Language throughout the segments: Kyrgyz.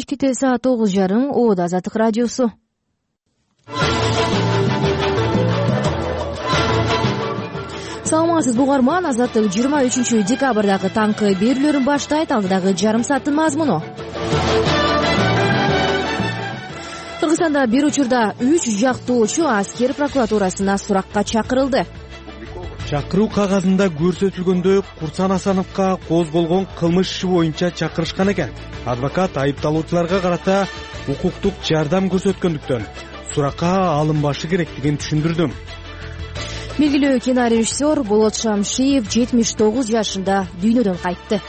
Кечки саат 9:30 Оодо Азаттык радиосу. Саламатсызбы угарман, Азаттык 23-декабрдагы таңкы берүүлөрүн баштайт. Алдыдагы жарым сааттын мазмуну. Кыргызстанда бир учурда 3 жактоочу аскер прокуратурасына суракка чакырылды. Чакыруу кагазында көрсөтүлгөндөй Курсан Асановго козголгон кылмыш иши боюнча чакырышкан экен. Адвокат айыпталуучуларга карата укуктук жардам көрсөткөндүктөн суракка алынбашы керектигин түшүндүрдүм. Белгилүү кинорежиссер Болот Шамшиев 79 жашында дүйнөдөн кайтты.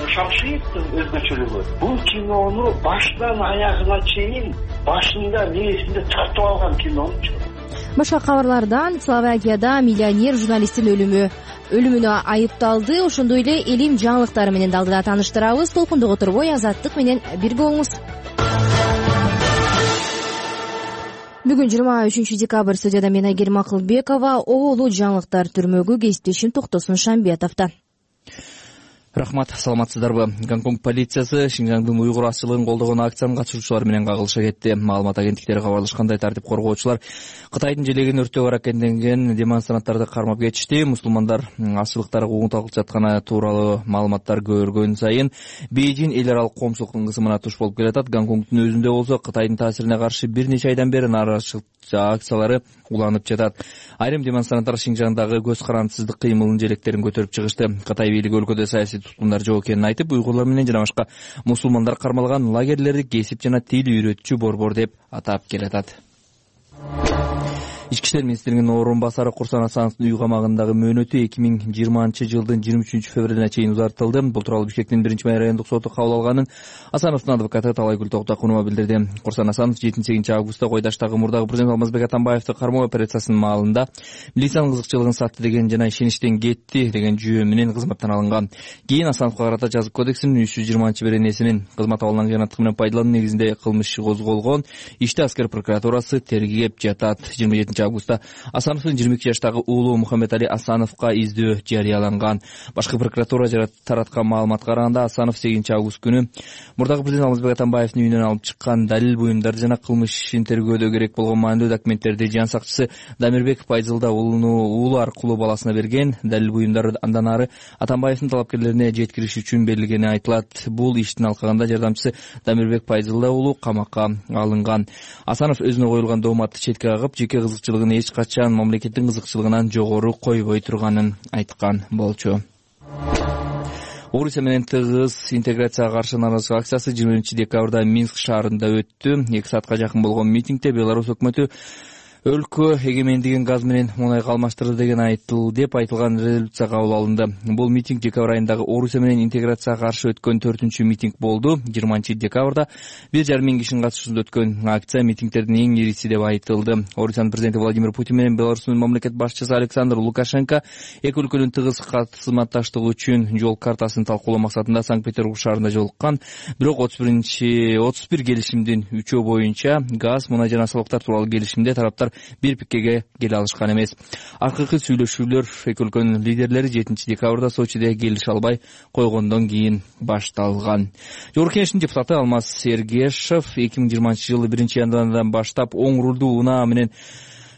Шамшиевдин өзгөчөлүгү бул кинону башынан аягына чейин башында мээсинде тартып алган кинончу. Башка кабарлардан Словакияда миллионер журналисттин өлүмүнө айыпталды. Ошондой эле элим жаңылыктары менен алдыда тааныштырабыз. Толкундук турбой Азаттык менен бирге болуңуз. Бүгүн 23-декабрь студияда мен Айгерим Акылбекова. Оолу жаңылыктар түрмөгү кесиптешим Токтосун Шамбиятовдон. Рахмат, саламатсыздарбы? Гонконг полициясы Шинжаңдын уйгур азчылыгын колдогон акциянын катышуучулары менен кагылышка кетти. Маалымат агенттиктери кабарлашкандай, тартип коргоочулар Кытайдын желегин өрттөөгө аракеттенген демонстранттарды кармап кетишти. Мусулмандар азчылыктарга угунталып жатканы тууралуу маалыматтар көбөйгөн сайын Бейжин эл аралык коомчулуктун кысымына туш болуп келатат. Гонконгдун өзүндө болсо Кытайдын таасирине каршы бир нече айдан бери нааразычылык акциялары уланып жатат. Айрым демонстранттар Шинжаңдагы көз карандысыздык кыймылын желектерин көтөрүп чыгышты. Кытай бийлиги өлкөдө саясий туткундар жок экенин айтып, уйгурлар менен жана башка мусулмандар кармалган лагерлерди кесип жана тил үйрөтчү борбор деп атап келатат. Ички иштер министринин орун басары Курсан Асановдун үй камагындагы мөөнөтү 2020-жылдын 23-февралына чейин узартылды. Бул тууралуу Бишкектин 1-май райондук соту кабыл алганын Асановдун адвокаты Талайгүл Токтокунова билдирди. Курсан Асанов 7-августта Койдаштагы мурдагы президент Алмазбек Атамбаевди кармоо операциясынын маалында милициянын кызыкчылыгын сатты деген жана ишеничтен кетти деген жүйө менен кызматтан алынган. Кийин Асановго карата жазык кодексинин 320-беренесинин кызмат абалынан кыянаттык менен пайдалануу негизинде кылмыш иши козголгон. Ишти аскер прокуратурасы тергеп жатат. 27-августта Асановдун 22 жаштагы уулу Мухаммед Али Асановго издөө жарыяланган. Башкы прокуратура тараткан маалыматка караганда Асанов 8-август күнү мурдагы президент Алмазбек Атамбаевдин үйүнөн алып чыккан далил буюмдар жана кылмыш ишин тергөөдө керек болгон маанилүү документтерди жан сакчысы Дамирбек Пайзылда уулу аркылуу баласына берген. Далил буюмдар андан ары Атамбаевдин талапкерлерине жеткириш үчүн берилгени айтылат. Бул иштин алкагында жардамчысы Дамирбек Пайзылда уулу камакка алынган. Асанов өзүнө коюлган дооматты четке кагып, жеке кызыкчылыгын эч качан мамлекеттин кызыкчылыгынан жогору койбой турганын айткан болчу. Орусия менен тыгыз интеграцияга каршы нааразычылык акциясы 20-декабрда Минск шаарында өттү. 2 саатка жакын болгон митингде Беларусь өкмөтү өлкө эгемендигин газ менен мунайга алмаштырды деп айтылган резолюция кабыл алынды. Бул митинг декабрь айындагы Орусия менен интеграцияга каршы өткөн 4-митинг болду. 20-декабрда 1,5 миң кишинин катышуусунда өткөн акция митингтердин эң ириси деп айтылды. Орусиянын президенти Владимир Путин менен Беларустун мамлекет башчысы Александр Лукашенко эки өлкөнүн тыгыз кызматташтыгы үчүн жол картасын талкуулоо максатында Санкт-Петербург шаарында жолуккан. Бирок 31 келишимдин 3 боюнча газ, мунай жана салыктар тууралуу келишимде тараптар бир пиккеге келе алышкан эмес. Акыркы сүйлөшүүлөр эки өлкөнүн лидерлери 7-декабрда Сочиде келише албай койгондон кийин башталган. Жогорку Кеңештин депутаты Алмаз Сергешев 2020-жылы 1-январдан баштап оң рулдуу унаа менен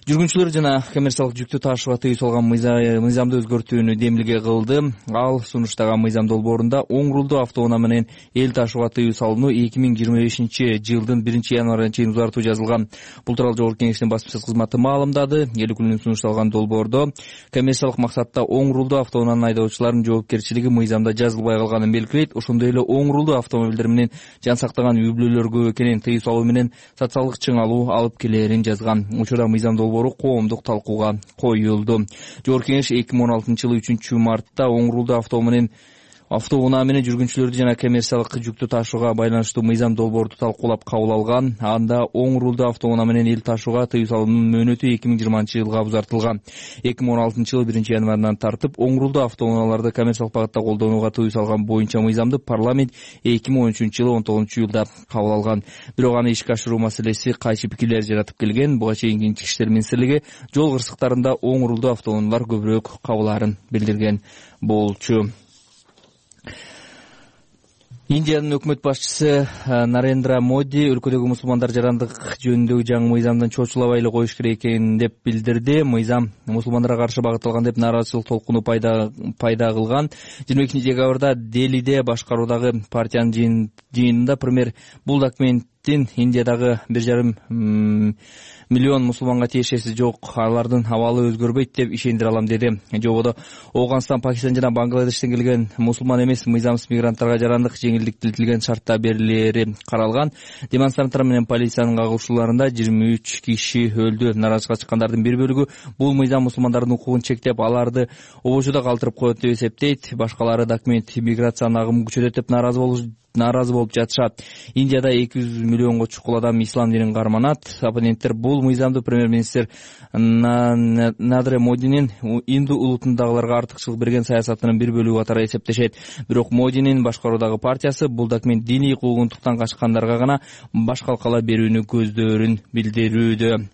жүргүнчүлөр жана коммерциялык жүктү таашууга тыюу салган мыйзамды өзгөртүүнү демилге кылды. Ал сунуштаган мыйзам долбоорунда оң рулдуу автоунаа менен эл таашууга тыюу салууну 2025-жылдын 1-январына чейин узартуу жазылган. Бул тууралуу Жогорку Кеңештин басма сөз кызматы маалымдады. Эл өкүлүнүн сунушталган долбоордо коммерциялык максатта оң рулдуу автоунаанын айдоочуларынын жоопкерчилиги мыйзамда жазылбай калганын белгилейт. Ошондой эле оң рулдуу автомобилдер менен жан сактаган үй-бүлөлөр көп экенин тыюу салуу менен социалдык чыңалуу алып келээрин жазган. Учурда мыйзам коомдук талкууга коюлду. Жогорку Кеңеш 2016-жылы 3-мартта оң рулдуу автоунаа менен жүргүнчүлөрдү жана коммерциялык жүктү таашууга байланыштуу мыйзам долбоорду талкуулап кабыл алган. Анда оң рулдуу автоунаа менен эл таашууга тыюу салуунун мөөнөтү 2020-жылга узартылган. 2016-жылы 1-январынан тартып оң рулдуу автоунааларды коммерциялык багытта колдонууга тыюу салган боюнча мыйзамды парламент 2013-жылы 19-июлда кабыл алган. Бирок аны ишке ашыруу маселеси кайчы пикирлер жаратып келген. Буга чейин Ички иштер министрлиги жол кырсыктарында оң рулдуу автоунаалар көбүрөөк кабылаарын билдирген болчу. Индиянын өкмөт башчысы Нарендра Моди өлкөдөгү мусулмандар жарандык жөнүндөгү жаңы мыйзамдан чочулабай эле коюш керек экенин деп билдирди. Мыйзам мусулмандарга каршы багытталган деп нааразычылык толкуну пайда кылган. 22-декабрда Делиде башкаруудагы партиянын жыйынында премьер бул документтин Индиядагы 1,5 миллион мусулманга тиешеси жок, алардын абалы өзгөрбөйт деп ишендире алам деди. Жободо Ооганстан, Пакистан жана Бангладештен келген мусулман эмес мыйзамсыз мигранттарга жарандык жеңилдетилген шартта берилери каралган. Демонстранттар менен полициянын кагылышууларында 23 киши өлдү. Наразычылыкка чыккандардын бир бөлүгү бул мыйзам мусулмандардын укугун чектеп, аларды обочуда калтырып коет деп эсептейт. Башкалары документ миграциянын агымын күчөтөт деп нааразы болуп жатышат. Индияда 200 миллионго чукул адам ислам динин карманат. Оппоненттер бул мыйзамды премьер-министр Нарендра Модинин Инду улутундагыларга артыкчылык берген саясатынын бир бөлүгү катары эсептешет. Бирок Модинин башкаруудагы партиясы бул документ диний куугунтуктан качкандарга гана баш калкала берүүнү көздөрүн билдирүүдө.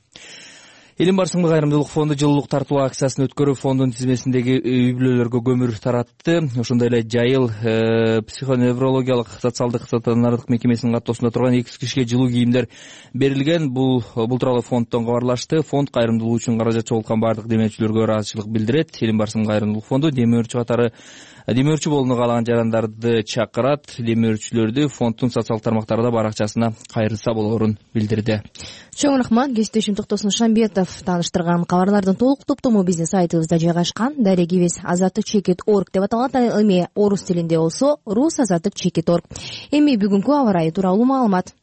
Элим барысында кайрымдуулук фонду жылуулук тартуу акциясын өткөрүп, фондун тизмесиндеги үй-бүлөлөргө көмүр таратты. Ошондой эле Жайыл психоневрологиялык социалдык стационардык мекемесинин каттоосунда турган 200 кишиге жылуу кийимдер берилген. Бул тууралуу фонддон кабарлашты. Фонд кайрымдуулук үчүн каражат чогулткан бардык демөөрчүлөргө ыраазычылык билдирет. Элим барысында кайрымдуулук фонду демөөрчү болууну каалаган жарандарды чакырат. Демөөрчүлөрдү фонддун социалдык тармактарда баракчасына кайрылса болоорун билдирди. Чоң рахмат. Кесиптешим Токтосун Шамбетов тааныштырган кабарлардын толук топтому биздин сайтыбызда жайгашкан. Дарегибиз azattik.org деп аталат. Эми орус тилинде болсо rusazattik.org. Эми бүгүнкү аба ырайы тууралуу маалымат.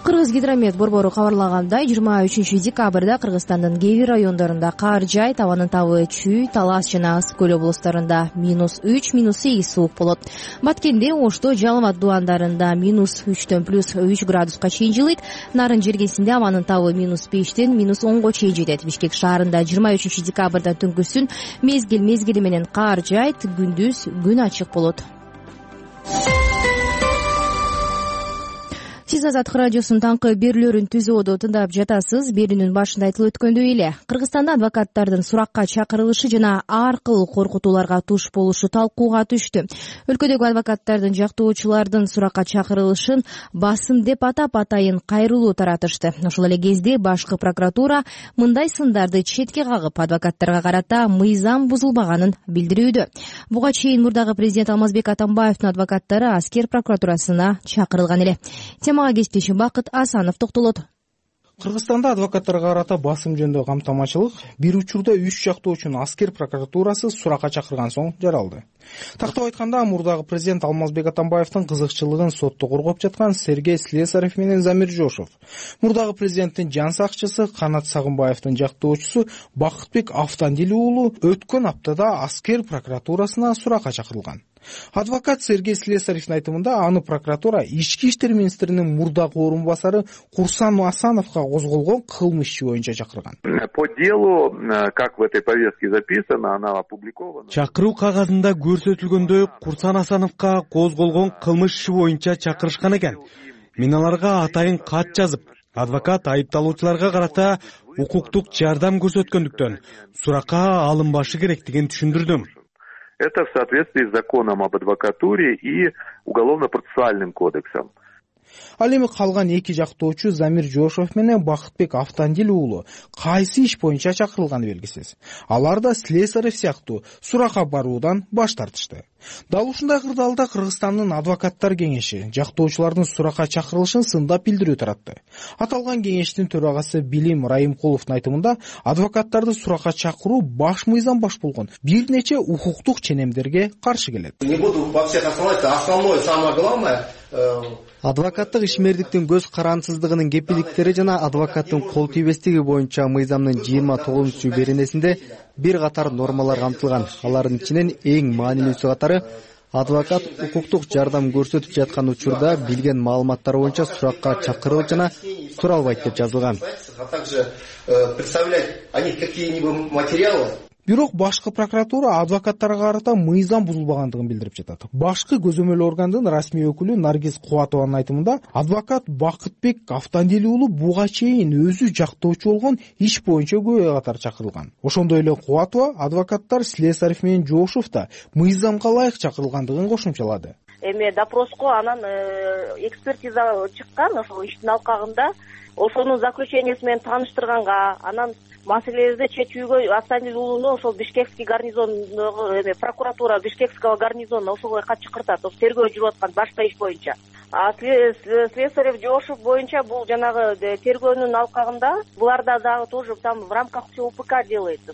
Кыргыз гидромет борбору кабарлагандай, 23 декабрда Кыргызстандын кээ бир райондорунда кар жаайт, абанын табы Чүй, Талас жана Ысык көл облустарында -3, -8 суук болот. Баткенде, Ошто, Жалал-Абад дубандарында -3 +3 градуска чейин жылыйт. Нарын жергесинде абанын табы -5 -10 чейин жетет. Бишкек шаарында 23 декабрда түнкүсүн мезгили менен кар жаайт, күндүз күн ачык болот. Сиз Азаттык радиосунун таңкы берүүлөрүн түзүүдө тыңдап жатасыз. Берүүнүн башында айтылып өткөндөй эле, Кыргызстанда адвокаттардын суракка чакырылышы жана ар кыл коркутууларга туш болушу талкууга түштү. Өлкөдөгү адвокаттардын жактоочулардын суракка чакырылышын басым деп атап, атайын кайрылуу таратышты. Ошол эле кезде башкы прокуратура мындай сындарды четке кагып, адвокаттарга карата мыйзам бузулбаганын билдирүүдө. Буга чейин мурдагы президент Алмазбек Атамбаевдин адвокаттары аскер прокуратурасына чакырылган эле. Темага кесиптешим Бакыт Асанов токтолот. Кыргызстанда адвокаттарга карата басым жөнүндө камтамачылык бир учурда 3 жактоочуну аскер прокуратурасы суракка чакырган соң жаралды. Тактап айтканда, мурдагы президент Алмазбек Атамбаевдин кызыкчылыгын сотто коргоп жаткан Сергей Слесарев менен Замир Жошов, мурдагы президенттин жан сакчысы Канат Сагынбаевдин жактоочусу Бакытбек Автандил уулу өткөн аптада аскер прокуратурасына суракка чакырылган. Адвокат Сергей Слесаревдин айтымында, аны прокуратура Ички иштер министринин мурдагы орун басары Курсан Асановго козголгон кылмыш иши боюнча чакырган. По делу, как в этой повестке записано, она опубликована. Чакыруу кагазында көрсөтүлгөндөй Курсан Асановго козголгон кылмыш иши боюнча чакырышкан экен. Мен аларга атайын кат жазып, адвокат айыпталуучуларга карата укуктук жардам көрсөткөндүктөн суракка алынбашы керектигин түшүндүрдүм. Это в соответствии с законом об адвокатуре и уголовно-процессуальным кодексом. Ал эми калган эки жактоочу Замир Жошов менен Бакытбек Автандил уулу кайсы иш боюнча чакырылганы белгисиз. Алар да Слесарев сыяктуу суракка баруудан баш тартышты. Дал ушундай кырдаалда Кыргызстандын адвокаттар кеңеши жактоочулардын суракка чакырылышын сындап билдирүү таратты. Аталган кеңештин төрагасы Билим Райымкуловдун айтымында, адвокаттарды суракка чакыруу баш мыйзам баш болгон бир нече укуктук ченемдерге каршы келет. Не буду во всех останавливаться, основное, самое главное, адвокаттык ишмердиктин көз карансыздыгынын кепилдиктери жана адвокаттын кол тийбестиги боюнча мыйзамдын 29 беренесинде бир катар нормалар камтылган. Алардын ичинен эң маанилүүсү катары адвокат укуктук жардам көрсөтүп жаткан учурда билген маалыматтар боюнча суракка чакырылып жана тура албайт деп жазылган. А также представлять о них какие-либо материалы. Бирок башкы прокуратура адвокаттарга карата мыйзам бузулбагандыгын билдирип жатат. Башкы көзөмөл органдын расмий өкүлү Наргиз Кубатованын айтымында, адвокат Бакытбек Автандели уулу буга чейин өзү жактоочу болгон иш боюнча күбө катары чакырылган. Ошондой эле Кубатова адвокаттар Слесарев менен Жошов да мыйзамга ылайык чакырылгандыгын кошумчалады. Эми допроско анан экспертиза чыккан ошол иштин алкагында, ошонун заключенияси менен тааныштырганга, анан маселебизди чечүүгө Автандели уулуну ошол Бишкекский гарнизондогу прокуратура Бишкекского гарнизона ошого кат чакыртат, тергөө жүрүп аткан башка иш боюнча. Слесарев Жошов боюнча бул жанагы тергөөнүн алкагында буларда дагы тоже там в рамках УПК делается.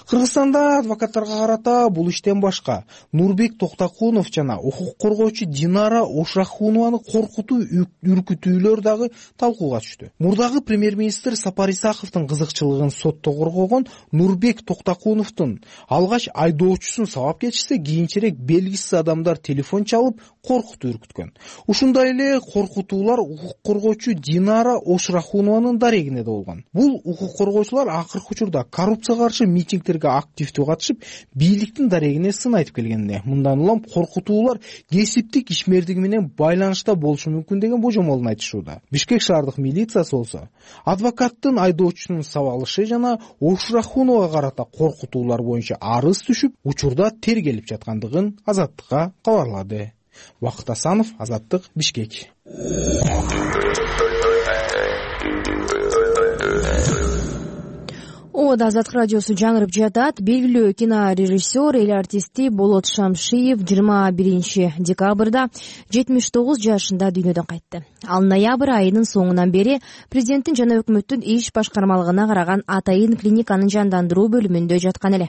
Кыргызстанда адвокаттарга карата бул иштен башка Нурбек Токтокунов жана укук коргоочу Динара Ошрахунованы коркутуу, үркүтүүлөр дагы талкууга түштү. Мурдагы премьер-министр Сапар Исаковдун кызыкчылыгын сотто коргогон Нурбек Токтокуновдун алгач айдоочусун сабап кетишсе, кийинчерээк белгисиз адамдар телефон чалып коркутуп үркүткөн. Ушундай эле коркутуулар укук коргоочу Динара Ошрахунованын дарегине да болгон. Бул укук коргоочулар акыркы учурда коррупцияга каршы митингтерге активдүү катышып, бийликтин дарегине сын айтып келгенде, мындан улам коркутуулар кесиптик ишмердиги менен байланышта болушу мүмкүн деген божомолун айтышууда. Бишкек шаардык милициясы болсо, адвокаттын айдоочусунун сабалышы жана Ошрахуновага карата коркутуулар боюнча арыз түшүп, учурда тергелип жаткандыгын Азаттыкка кабарлады. Бакыт Асанов, Азаттык, Бишкек. Ода Азаттык радиосу жаңырып жатат. Белгилүү кинорежиссер, эл артисти Болот Шамшиев 21 декабрда 79 жашында дүйнөдөн кайтты. Ал ноябрь айынын соңунан бери президенттин жана өкмөттүн иш башкармалыгына караган Атайын клиниканын жандандыруу бөлүмүндө жаткан эле.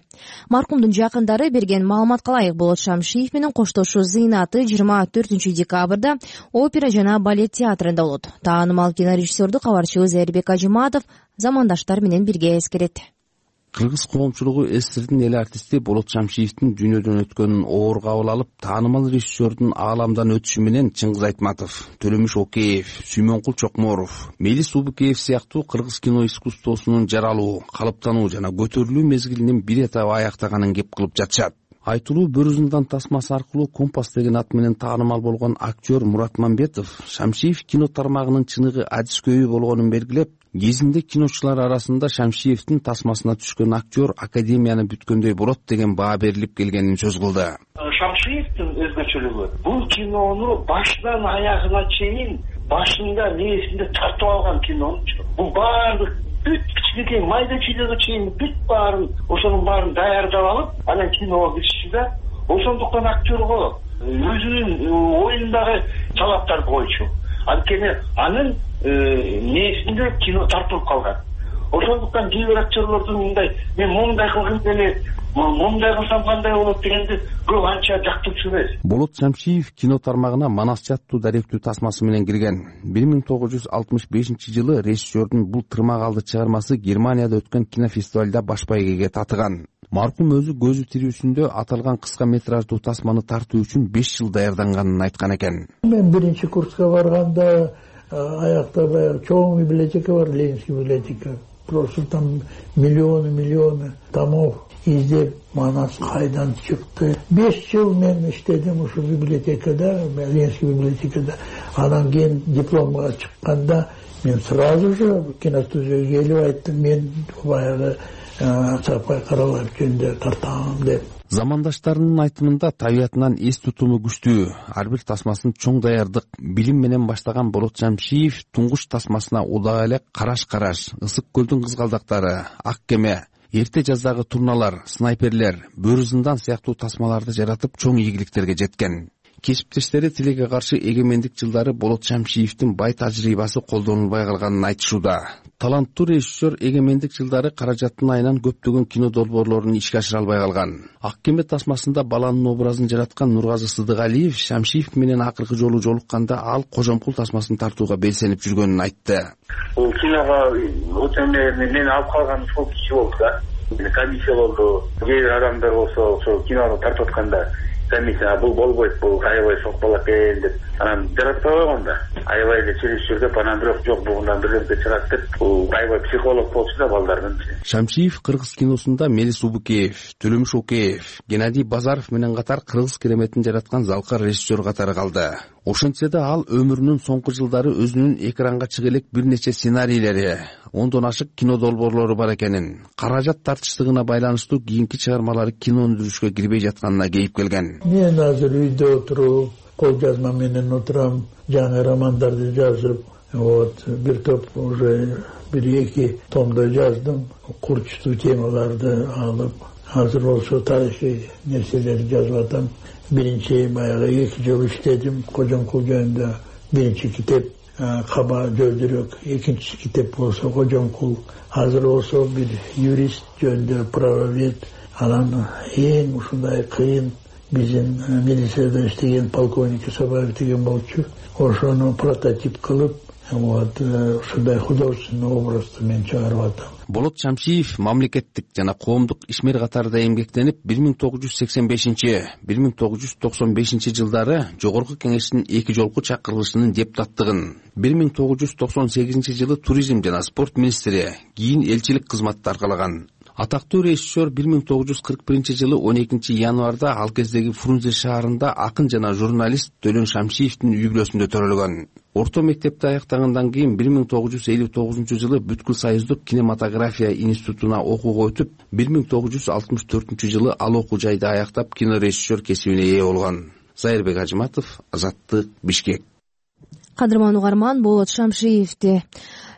Маркумдун жакындары берген маалыматка ылайык Болот Шамшиев менен коштошуу зыйнаты 24 декабрда опера жана балет театрында болот. Таанымал кинорежиссердү кабарчыбыз Эрбек Ажиматов замандаштар менен бирге эскерет. Кыргыз коомчулугу СССРдин эл артисти Болот Шамшиевдин дүйнөдөн өткөнүн оор кабыл алып, таанымал режиссердун ааламдан өтүшү менен Чыңгыз Айтматов, Төлөмүш Океев, Сүймөнкул Чокморов, Мелис Убукеев сыяктуу кыргыз кино искусствосунун жаралуу, калыптануу жана көтөрүлүү мезгилинин бир этабы аяктаганын кеп кылып жатышат. Айтылуу Бөрүзүндан тасмасы аркылуу Компас деген ат менен таанымал болгон актер Мурат Мамбетов Шамшиев кино тармагынын чыныгы адискөйү болгонун белгилеп, кезинде киночулар арасында Шамшиевдин тасмасына түшкөн актер академияны бүткөндөй болот деген баа берилип келгенин сөз кылды. Шамшиевдин өзгөчөлүгү бул кинону башынан аягына чейин башында мээсинде тартып алган кинончу. Бул баардык бүт кичинекей майда чүйдөгө чейин бүт баарын ошонун баарын даярдап алып, анан киного киришти да. Ошондуктан актерго өзүнүн оюндагы талаптар боюнча анткени анын мээсинде кино тартылып калган. Ошондуктан кээ бир актерлордун мындай мен моундай кылгым келет, моундай кылсам кандай болот дегенди көп анча жактырчу эмес. Болот Шамшиев кино тармагына Манас аттуу даректүү тасмасы менен кирген. 1965 жылы режиссердун бул тырмак алды чыгармасы Германияда өткөн кинофестивалда баш байгеге татыган. Маркум өзү көзү тирүүсүндө аталган кыска метраждуу тасманы тартуу үчүн 5 жыл даярданганын айткан экен. Мен биринчи курска барганда аякта чоң библиотека бар, Ленинский библиотека. Просто там миллионы томов издеп, Манас кайдан чыкты. 5 жыл мен иштедим ушу библиотекада, Ленинский библиотекада. Анан кийин дипломго чыкканда мен сразу же киностудияга келип айттым, мен баягы Сапай каралар жөнүндө тартам деп. Замандаштарынын айтымында табиятынан эс тутуму күчтүү, ар бир тасмасын чоң даярдык, билим менен баштаган Болот Шамшиев туңгуч тасмасына удак эле Караш, Ысык көлдүн кызгалдактары, Ак кеме, Эрте жаздагы турналар, Снайперлер, Бөрүзүндан сыяктуу тасмаларды жаратып чоң ийгиликтерге жеткен. Кесиптештери тилекке каршы эгемендик жылдары Болот Шамшиевдин бай тажрыйбасы колдонулбай калганын айтышууда. Таланттуу режиссер эгемендик жылдары каражаттын айынан көптөгөн кино долбоорлорун ишке ашыра албай калган. Ак кеме тасмасында баланын образын жараткан Нургазы Сыдыгалиев Шамшиев менен акыркы жолу жолукканда ал Кожомкул тасмасын тартууга белсенип жүргөнүн айтты. Бул киного мен алып калган сол киши болду да. Комиссия болду. Кээ бир адамдар болсо ошол кинону тартып атканда комиссия бул болбойт, бул аябай сокпол экен деп анан жаратпай койгон да. Аябай эле чиришип жүрүп анан бирок жок бугундан бирдемке чыгат деп бул аябай психолог болчу да балдардын. Шамшиев кыргыз киносунда Мелис Убукеев, Төлөмүш Океев, Геннадий Базаров менен катар кыргыз кереметин жараткан залкар режиссер катары калды. Ошентсе да ал өмүрүнүн соңку жылдары өзүнүн экранга чыга элек бир нече сценарийлери, 10дон ашык кино долбоорлору бар экенин, каражат тартыштыгына байланыштуу кийинки чыгармалары кино өндүрүшкө кирбей жатканына кейип келген. Мен азыр үйдө отуруп, кол жазма менен отурам, жаңы романдарды жазып, бир топ уже 1-2 томдо жаздым, курчтуу темаларды алып, азыр болсо тарыхый нерселерди жазып атам. Биринчи баягы 2 жыл иштедим Кожомкул жөнүндө. Биринчи китеп Каба Жөлдүрөк, экинчи китеп болсо Кожомкул. Азыр болсо бир юрист жөнүндө, правовед. Анан эң ушундай кыйын биздин милицияда иштеген полковник Сабаев деген болчу. Ошону прототип кылып, ушундай художественный образды мен чыгарып атам. Болот Шамшиев мамлекеттик жана коомдук ишмер катарында эмгектенип 1985-1995 жылдары Жогорку Кеңештин 2 жолку чакырылышынын депутаттыгын, 1998 жылы туризм жана спорт министри, кийин элчилик кызматты аркалаган. Атактуу режиссер 1941 жылы 12 январда ал кездеги Фрунзе шаарында акын жана журналист Төлөн Шамшиевдин үй бүлөсүндө төрөлгөн. Орто мектепти аяктагандан кийин 1959 жылы бүткүл союздук кинематография институтуна окууга өтүп, 1964 жылы ал окуу жайды аяктап кинорежиссер кесибине ээ болгон. Зайырбек Ажыматов, Азаттык, Бишкек. Кадырман угарман, Болот Шамшиевди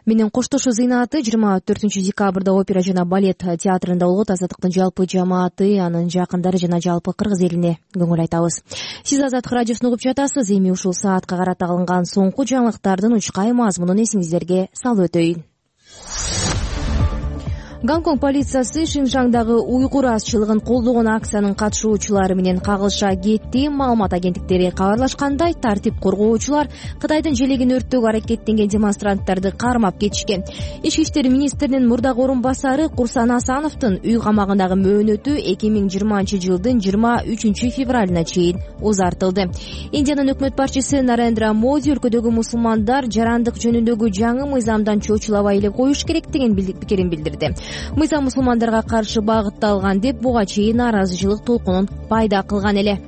менен коштошуу зыйнаты 24 декабрда опера жана балет театрында болот. Азаттыктын жалпы жамааты, анын жакындары жана жалпы кыргыз элине көңүл айтабыз. Сиз Азаттык радиосун угуп жатасыз. Эми ушул саатка карата алынган соңку жаңылыктардын учкай мазмунун эсиңиздерге салып өтөйүн. Гонконг полициясы Шинжаңдагы уйгур азчылыгын колдогон акциянын катышуучулары менен кагылыша кетти. Маалымат агенттиктери кабарлашкандай, тартип коргоочулар Кытайдын желегин өрттөөгө аракеттенген демонстранттарды кармап кетишкен. Ички иштер министринин мурдагы орун басары Курсан Асановдун үй камагындагы мөөнөтү 2020 жылдын 23 февралына чейин узартылды. Индиянын өкмөт башчысы Нарендра Моди өлкөдөгү мусулмандар жарандык жөнүндөгү жаңы мыйзамдан чочулабай эле коюш керек деген пикирин билдирди. Мыйзам мусулмандарга каршы багытталган деп буга чейин нааразычылык толкунун пайда кылган эле.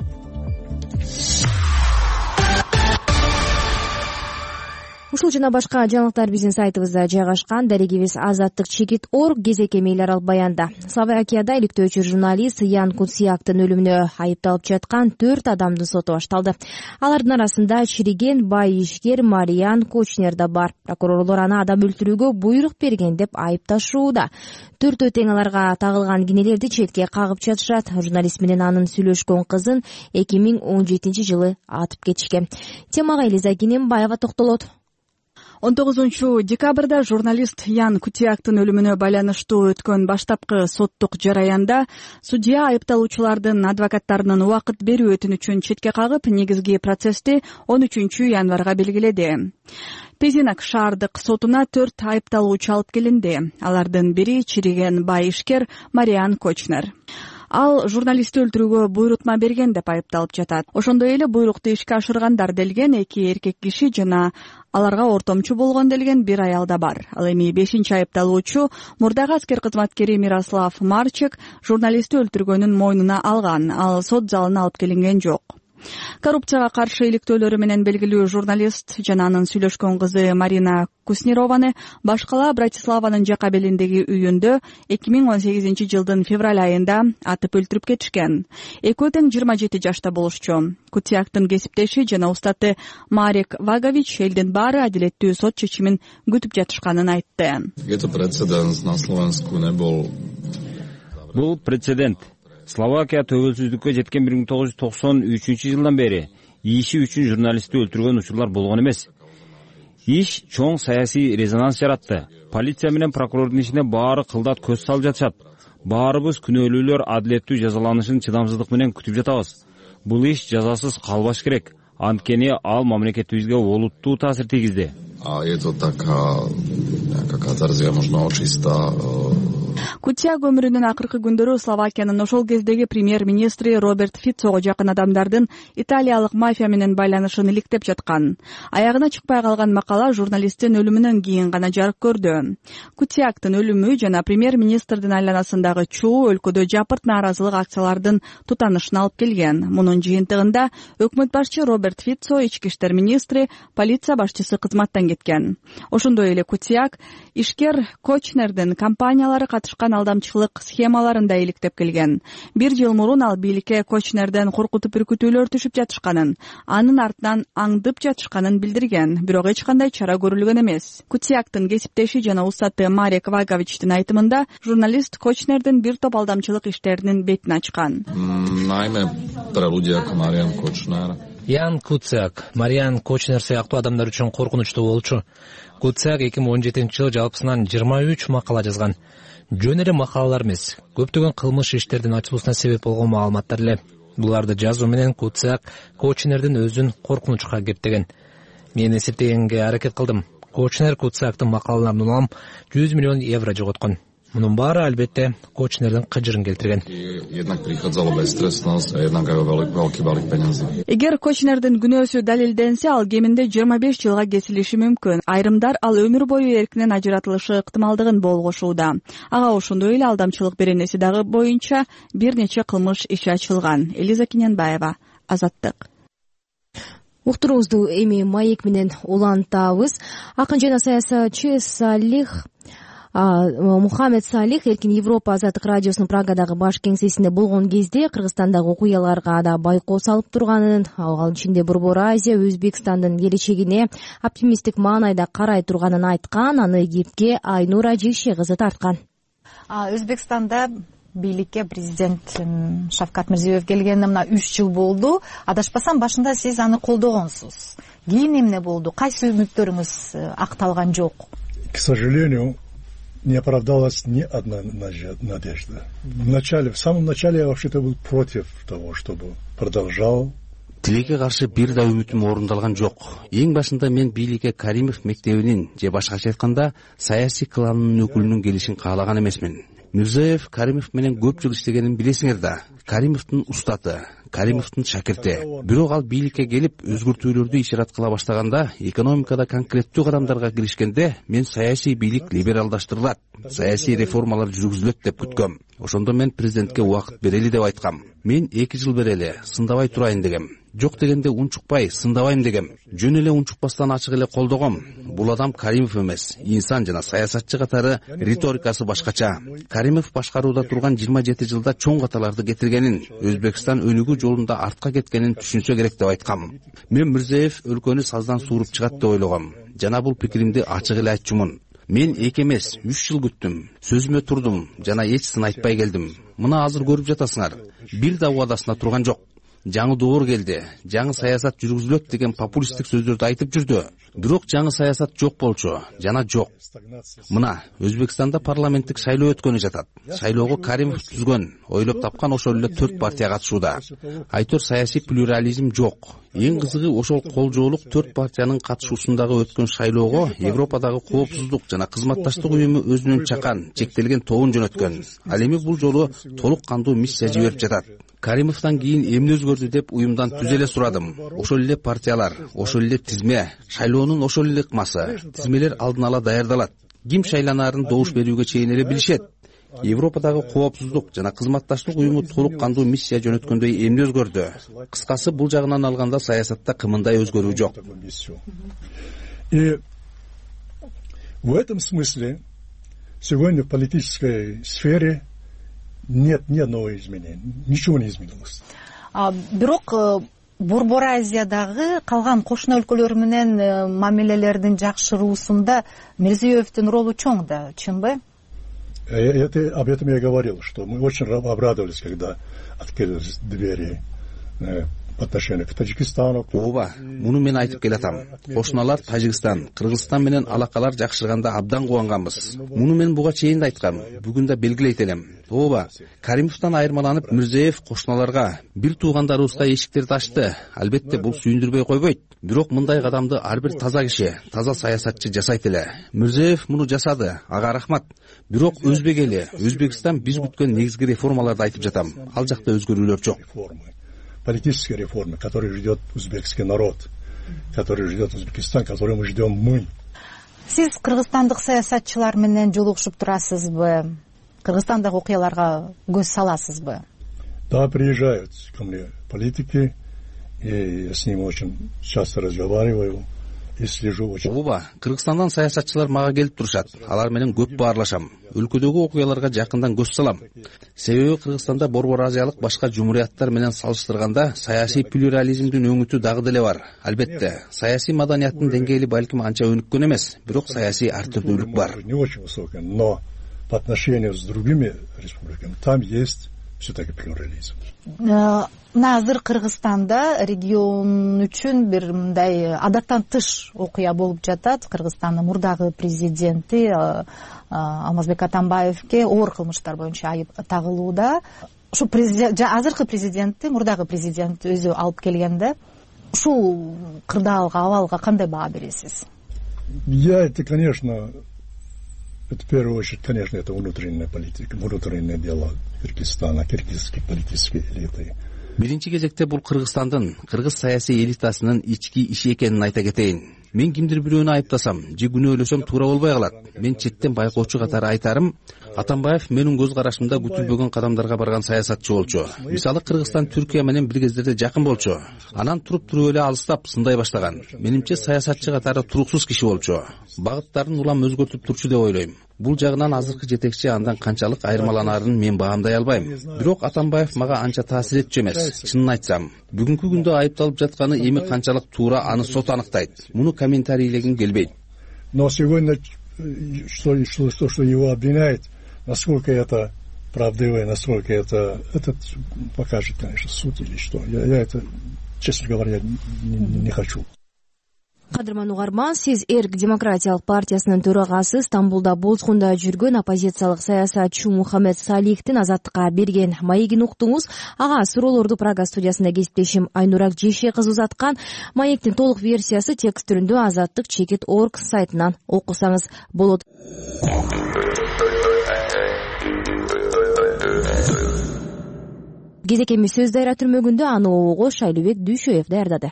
Ушул жана башка жаңылыктар биздин сайтыбызда жайгашкан. Дарегибиз Азаттык.org. Кезекке мейлер ал баянда. Словакияда иликтөөчү журналист Ян Куцяктын өлүмүнө айыпталып жаткан 4 адамдын соту башталды. Алардын арасында чириген бай ишкер Мариан Кочнер да бар. Прокурорлор аны адам өлтүрүүгө буйрук берген деп айыпташууда. 4 тең аларга тагылган кинелерди четке кагып жатышат. Журналист менен анын сүйлөшкөн кызын 2017 жылы атып кетишкен. Темага Элиза Кенембаева токтолот. 19 декабрда журналист Ян Куцяктын өлүмүнө байланыштуу өткөн баштапкы соттук жараянда судья айыпталуучулардын адвокаттарынын убакыт берүү өтүнүчүн четке кагып, негизги процессти 13 январга белгиледи. Пезинак шаардык сотуна 4 айыпталуучу алып келинди. Алардын бири чириген бай ишкер Мариан Кочнер. Ал журналистти өлтүрүүгө буйрутма берген деп айыпталып жатат. Ошондой эле буйрукту ишке ашыргандар делген 2 эркек киши жана аларга ортомчу болгон делген 1 аял да бар. Ал эми 5-чи айыпталуучу мурдагы аскер кызматкери Мирослав Марчек журналистти өлтүргөнүн мойнуна алган. Ал сот залына алып келинген жок. Коррупцияга каршы иликтөөлөрү менен белгилүү журналист жана анын сүйлөшкөн кызы Марина Куснированы башкала Братиславанын жака белиндеги үйүндө 2018 жылдын февраль айында атып өлтүрүп кетишкен. Экөө тең 27 жашта болушчу. Куцяктын кесиптеши жана устаты Марек Вагович элдин баары адилеттүү сот чечимин күтүп жатышканын айтты. Бул прецедент. Словакия төгөлсүздүккө жеткен 1993 жылдан бери иши үчүн журналистти өлтүргөн учурлар болгон эмес. Иш чоң саясий резонанс жаратты. Полиция менен прокурордун ишине баары кылдат көз салып жатышат. Баарыбыз күнөөлүүлөр адилеттүү жазаланышын чыдамсыздык менен күтүп жатабыз. Бул иш жазасыз калбаш керек. Анткени ал мамлекетибизге олуттуу таасир тийгизди. Кутиак өмүрүнүн акыркы күндөрү Словакиянын ошол кездеги премьер-министри Роберт Фицого жакын адамдардын италиялык мафия менен байланышын иликтеп жаткан. Аягына чыкпай калган макала журналисттин өлүмүнөн кийин гана жарык көрдү. Кутиактын өлүмү жана премьер-министрдин айланасындагы чуу өлкөдө жапырт нааразылык акциялардын тутанышына алып келген. Мунун жыйынтыгында өкмөт башчы Роберт Фицо, ички иштер министри, полиция башчысы кызматтан кеткен. Ошондой эле Кутиак ишкер Кочнердин компаниялары катышкан алдамчылык схемаларын да иликтеп келген. 1 жыл мурун ал бийликке Кочнерден коркутуп үркүтүүлөр түшүп жатышканын, анын артынан аңдып жатышканын билдирген, бирок эч кандай чара көрүлгөн эмес. Кутиактын кесиптеши жана устаты Марек Ваговичтин айтымында, журналист Кочнердин бир топ алдамчылык иштеринин бетин ачкан. Ян Куциак, Мариан Кочнер сыяктуу адамдар үчүн коркунучтуу болчу. Куциак 2017-жылы жалпысынан 23 макала жазган. Жөн эле макалалар эмес, көптөгөн кылмыш иштердин ачылуусуна себеп болгон маалыматтар эле. Буларды жазуу менен Куциак Кочнердин өзүн коркунучка кептеген. Мен эсептегенге аракет кылдым. Кочнер Куциактын макалаларын улам 100 миллион евро жоготкон. Мунун баары албетте Кочнердин кыжырын келтирген. Эгер Кочнердин күнөөсү далилденсе, ал кеминде 25 жылга кесилиши мүмкүн. Айрымдар ал өмүр бою эркинен ажыратылышы ыктымалдыгын болгошууда. Ага ошондой эле алдамчылык беренеси дагы боюнча бир нече кылмыш иши ачылган. Элиза Кененбаева, Азаттык. Уктуруубузду эми маек менен улантабыз. Акын жана саясатчы Мухаммед Салих Эркин Европа азаттык радиосунун Прагадагы баш кеңсесинде болгон кезде Кыргызстандагы окуяларга да байкоо салып турганын, ал ичинде Борбор Азия Өзбекстандын келечегине оптимисттик маанайда карай турганын айткан. Аны кепке Айнура Жекше кызы тарткан. Өзбекстанда бийликке президент Шавкат Мирзиёев келгенине мына 3 жыл болду. Адашпасам, башында сиз аны колдогонсуз. Кийин эмне болду? Кайсы үмүттөрүңүз акталган жок? К сожалению, не оправдалась ни одна надежда. В самом начале я вообще-то был против того, чтобы продолжал. Тилекке каршы бир да үмүтүм орундалган жок. Эң башында мен бийликке Каримов мектебинин же башкача айтканда саясий кланынын өкүлүнүн келишин каалаган эмесмин. Мирзиёев Каримов менен көп жыл иштегенин билесиңер да. Каримовдун устаты, Каримовдун шакирти. Бирок ал бийликке келип өзгөртүүлөрдү ишарат кыла баштаганда, экономикада конкреттүү кадамдарга киришкенде, мен саясий бийлик либералдаштырылат, саясий реформалар жүргүзүлөт деп күткөм. Ошондо мен президентке убакыт берели деп айткам. Мен 2 жыл берели, сындабай турайын дегем. Жок дегенде унчукпай, сындабайм дегем. Жөн эле унчукпастан ачык эле колдогом. Бул адам Каримов эмес, инсан жана саясатчы катары риторикасы башкача. Каримов башкарууда турган 27 жылда чоң каталарды кетиргенин, Өзбекстан өнүгүү жолунда артка кеткенин түшүнсө керек деп айткам. Мен Мирзиёев өлкөнү саздан сууруп чыгат деп ойлогом. Жана бул пикиримди ачык эле айтчумун. Мен 2 эмес, 3 жыл күттүм. Сөзүмө турдум жана эч сын айтпай келдим. Мына азыр көрүп жатасыңар. Бир да убадасына турган жок. Жаңы доор келди, жаңы саясат жүргүзүлөт деген популисттик сөздөрдү айтып жүрдү. Бирок жаңы саясат жок болчу, жана жок. Мына Өзбекстанда парламенттик шайлоо өткөнү жатат. Шайлоого Каримов түзгөн, ойлоп тапкан ошол эле 4 партия катышууда. Айтор саясий плюрализм жок. Эң кызыгы ошол колжоолук 4 партиянын катышуусундагы өткөн шайлоого Европадагы коопсуздук жана кызматташтык уюму өзүнүн чакан, чектелген тобун жөнөткөн. Ал эми бул жолу толук кандуу миссия жиберип жатат. Каримовдон кийин эмне өзгөрдү деп уюмдан түз эле сурадым. Ошол эле партиялар, ошол эле тизме, шайлоонун ошол эле ыкмасы. Тизмелер алдын ала даярдалат. Ким шайланаарын добуш берүүгө чейин эле билишет. Европадагы коопсуздук жана кызматташтык уюму толук кандуу миссия жөнөткөндөй эмне өзгөрдү? Кыскасы, бул жагынан алганда саясатта кымындай өзгөрүү жок. И в этом смысле сегодня в политической сфере нет ни одного изменения, ничего не изменилось. Бирок Борбор Азиядагы калган кошуна өлкөлөр менен мамилелердин жакшыруусунда Мирзиёевдин ролу чоң да, чынбы? Об этом я говорил, что мы очень обрадовались, когда открылись двери по отношению к Таджикистану. Ооба, муну мен айтып келатам. Кошуналар Тажикстан, Кыргызстан менен алакалар жакшырганда абдан кубанганбыз. Муну мен буга чейин да айткам, бүгүн да белгилейт элем. Ооба, Каримовдон айырмаланып Мирзиеев кошуналарга бир туугандарыбызга эшиктерди ачты. Албетте бул сүйүндүрбөй койбойт. Бирок мындай кадамды ар бир таза киши, таза саясатчы жасайт эле. Мирзиеев муну жасады, ага рахмат. Бирок Өзбек эли, Өзбекстан биз күткөн негизги реформаларды айтып жатам. Ал жакта өзгөрүүлөр жок. Политические реформы, которые ждет узбекский народ, которые ждет Узбекистан, которые мы ждем мы. Сиз кыргызстандык саясатчылар менен жолугушуп турасызбы? Кыргызстандагы окуяларга көз саласызбы? Да, приезжают ко мне политики, и я с ними очень часто разговариваю и слежу очень. Ооба, Кыргызстандан саясатчылар мага келип турушат. Алар менен көп баарлашам. Өлкөдөгү окуяларга жакындан көз салам. Себеби Кыргызстанда Борбор Азиялык башка жумурияттар менен салыштырганда саясий плюрализмдин өңүтү дагы деле бар. Албетте, саясий маданияттын деңгээли балким анча өнүккөн эмес, бирок саясий ар түрдүүлүк бар. Не очень высокая, но по отношению с другими республиками там есть все-таки плюрализм. Азыр Кыргызстанда регион үчүн бир мындай адаттан тыш окуя болуп жатат. Кыргызстандын мурдагы президенти Алмазбек Атамбаевке оор кылмыштар боюнча айып тагылууда. Ушу азыркы президентти, мурдагы президент өзү алып келгенде, ушул кырдаалга, абалга кандай баа бересиз? Это, конечно, это в первую очередь, конечно, это внутренняя политика, внутренние дела Кыргызстана, кыргызской политической элиты. Биринчи кезекте бул Кыргызстандын, кыргыз саясий элитасынын ички иши экенин айта кетейин. Мен кимдир бирөөнү айыптасам, же күнөөлөсөм туура болбой калат. Мен четтен байкоочу катары айтарым, Атамбаев менин көз карашымда күтүлбөгөн кадамдарга барган саясатчы болчу. Мисалы Кыргызстан Түркия менен бир кездерде жакын болчу. Анан туруп эле алыстап сындай баштаган. Менимче саясатчы катары туруксуз киши болчу. Багыттарын улам өзгөртүп турчу деп ойлойм. Бул жагынан азыркы жетекчи андан канчалык айырмаланаарын мен баамдай албайм. Бирок Атамбаев мага анча таасир этчү эмес. Чынын айтсам, бүгүнкү күндө айыпталып жатканы эми канчалык туура аны сот аныктайт. Муну комментарийлегим келбейт. Но сегодня что его обвиняет, насколько это правдиво, насколько это покажет, конечно, суд или что. Я это, честно говоря, не хочу. Кадырман угарман, сиз Эрк демократиялык партиясынын төрагасы, Стамбулда бозгунда жүргөн оппозициялык саясатчы Мухаммед Салихтин Азаттыкка берген маегин уктуңуз. Ага суроолорду Прага студиясында кесиптешим Айнурак Жеше кызы узаткан. Маектин толук версиясы текст түрүндө Азаттык.org сайтынан окусаңыз болот. Кезекеми сөз дайра түрмөгүндө аны обого Шайлыбек Дүйшөев даярдады.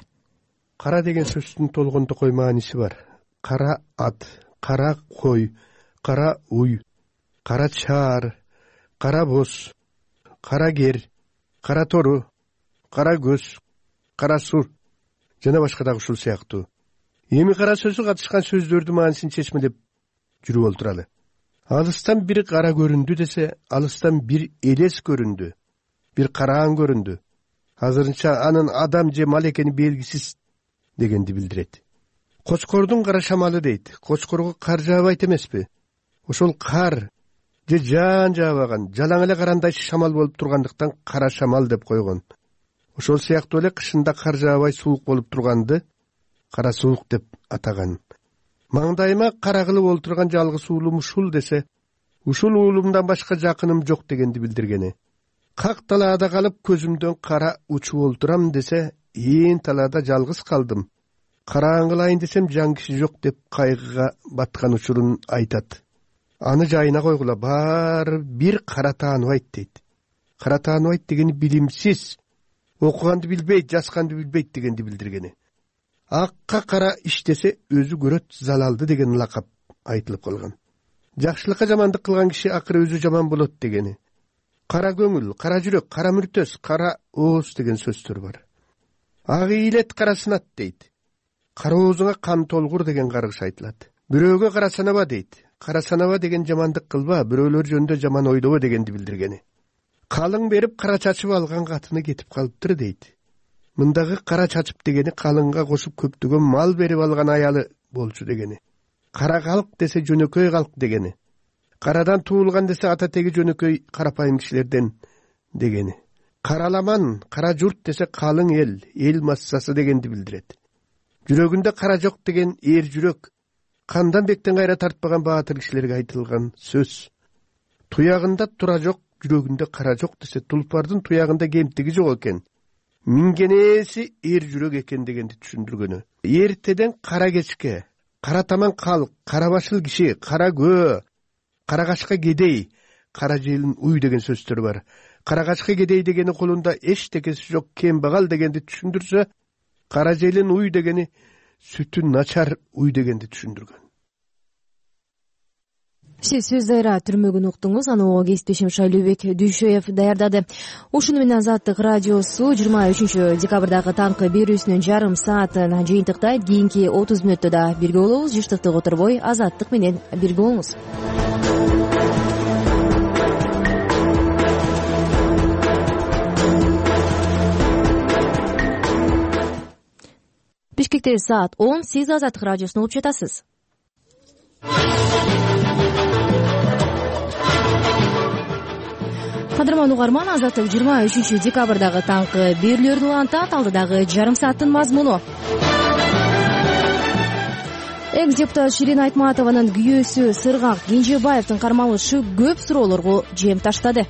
Кара деген сөздүн толгонтокой мааниси бар. Кара ат, кара кой, кара уй, кара чаар, кара боз, кара кер, кара тору, кара көз, кара сур жана башка дагы ушул сыяктуу. Эми кара сөзү катышкан сөздөрдүн маанисин чечмелеп жүрүп олтуралы. Алыстан бир кара көрүндү десе, алыстан бир элес көрүндү, бир караан көрүндү. Азырынча анын адам же мал экени белгисиз дегенди билдирет. Кочкордун кара шамалы дейт. Кочкорго кар жаабайт эмеспи? Ошол кар же жаан жаабаган, жалаң эле карандайчы шамал болуп тургандыктан кара шамал деп койгон. Ошол сыяктуу эле кышында кар жаабай суук болуп турганды кара суук деп атаган. Маңдайыма кара кылып олтурган жалгыз уулум ушул десе, ушул уулумдан башка жакыным жок дегенди билдиргени. Как талаада калып көзүмдөн кара учуп олтурам десе, ээн талаада жалгыз калдым. Караан кылайын десем жан киши жок деп кайгыга баткан учурун айтат. Аны жайына койгула, баары бир кара тааныбайт дейт. Кара тааныбайт дегени билимсиз, окуганды билбейт, жазганды билбейт дегенди билдиргени. Акка кара иштесе өзү көрөт залалды деген лакап айтылып калган. Жакшылыкка жамандык кылган киши акыры өзү жаман болот дегени. Кара көңүл, кара жүрөк, кара мүртөс, кара ооз деген сөздөр бар. Ак ийилет, кара сынат дейт. Кара оозуңа кан толгур деген каргыш айтылат. Бирөөгө кара санаба дейт. Кара санаба деген жамандык кылба, бирөөлөр жөнүндө жаман ойлобо дегенди билдиргени. Калың берип кара чачып алган катыны кетип калыптыр дейт. Мындагы кара чачып дегени калыңга кошуп көптөгөн мал берип алган аялы болчу дегени. Кара калк десе жөнөкөй калк дегени. Карадан туулган десе ата теги жөнөкөй карапайым кишилерден дегени. Караламан, кара журт десе калың эл массасы дегенди билдирет. Жүрөгүндө кара жок деген эр жүрөк, кандан бектен кайра тартпаган баатыр кишилерге айтылган сөз. Туягында тура жок, жүрөгүндө кара жок десе тулпардын туягында кемтиги жок экен. Мингенеси эр жүрөк экен дегенди түшүндүргөнү. Эртеден кара кечке, кара таман калк, кара башыл киши, кара көө, кара качка кедей, кара желин уй деген сөздөр бар. Кара качка кедей дегени колунда эчтекеси жок кембагал дегенди түшүндүрсө, кара желин уй дегени сүтү начар уй дегенди түшүндүргөн. Сиз сөз дайра түрмөгүн уктуңуз, аны кесиптешим Шайлообек Дүйшөев даярдады. Ушуну менен Азаттык радиосу 23 декабрдагы таңкы берүүсүнүн жарым саатын жыйынтыктайт. Кийинки 30 мүнөттө да бирге болобуз. Жыштыкты которбой Азаттык менен бирге болуңуз. Бишкекте саат 10. Сиз Азаттык радиосун угуп жатасыз. Кадырман угарман, Азаттык 23 декабрдагы таңкы берүүлөрүн улантат. Алдыдагы жарым сааттын мазмуну. Экс-депутат Ширин Айтматованын күйөөсү Сыргак Кенжебаевдин кармалышы көп суроолорго жем таштады.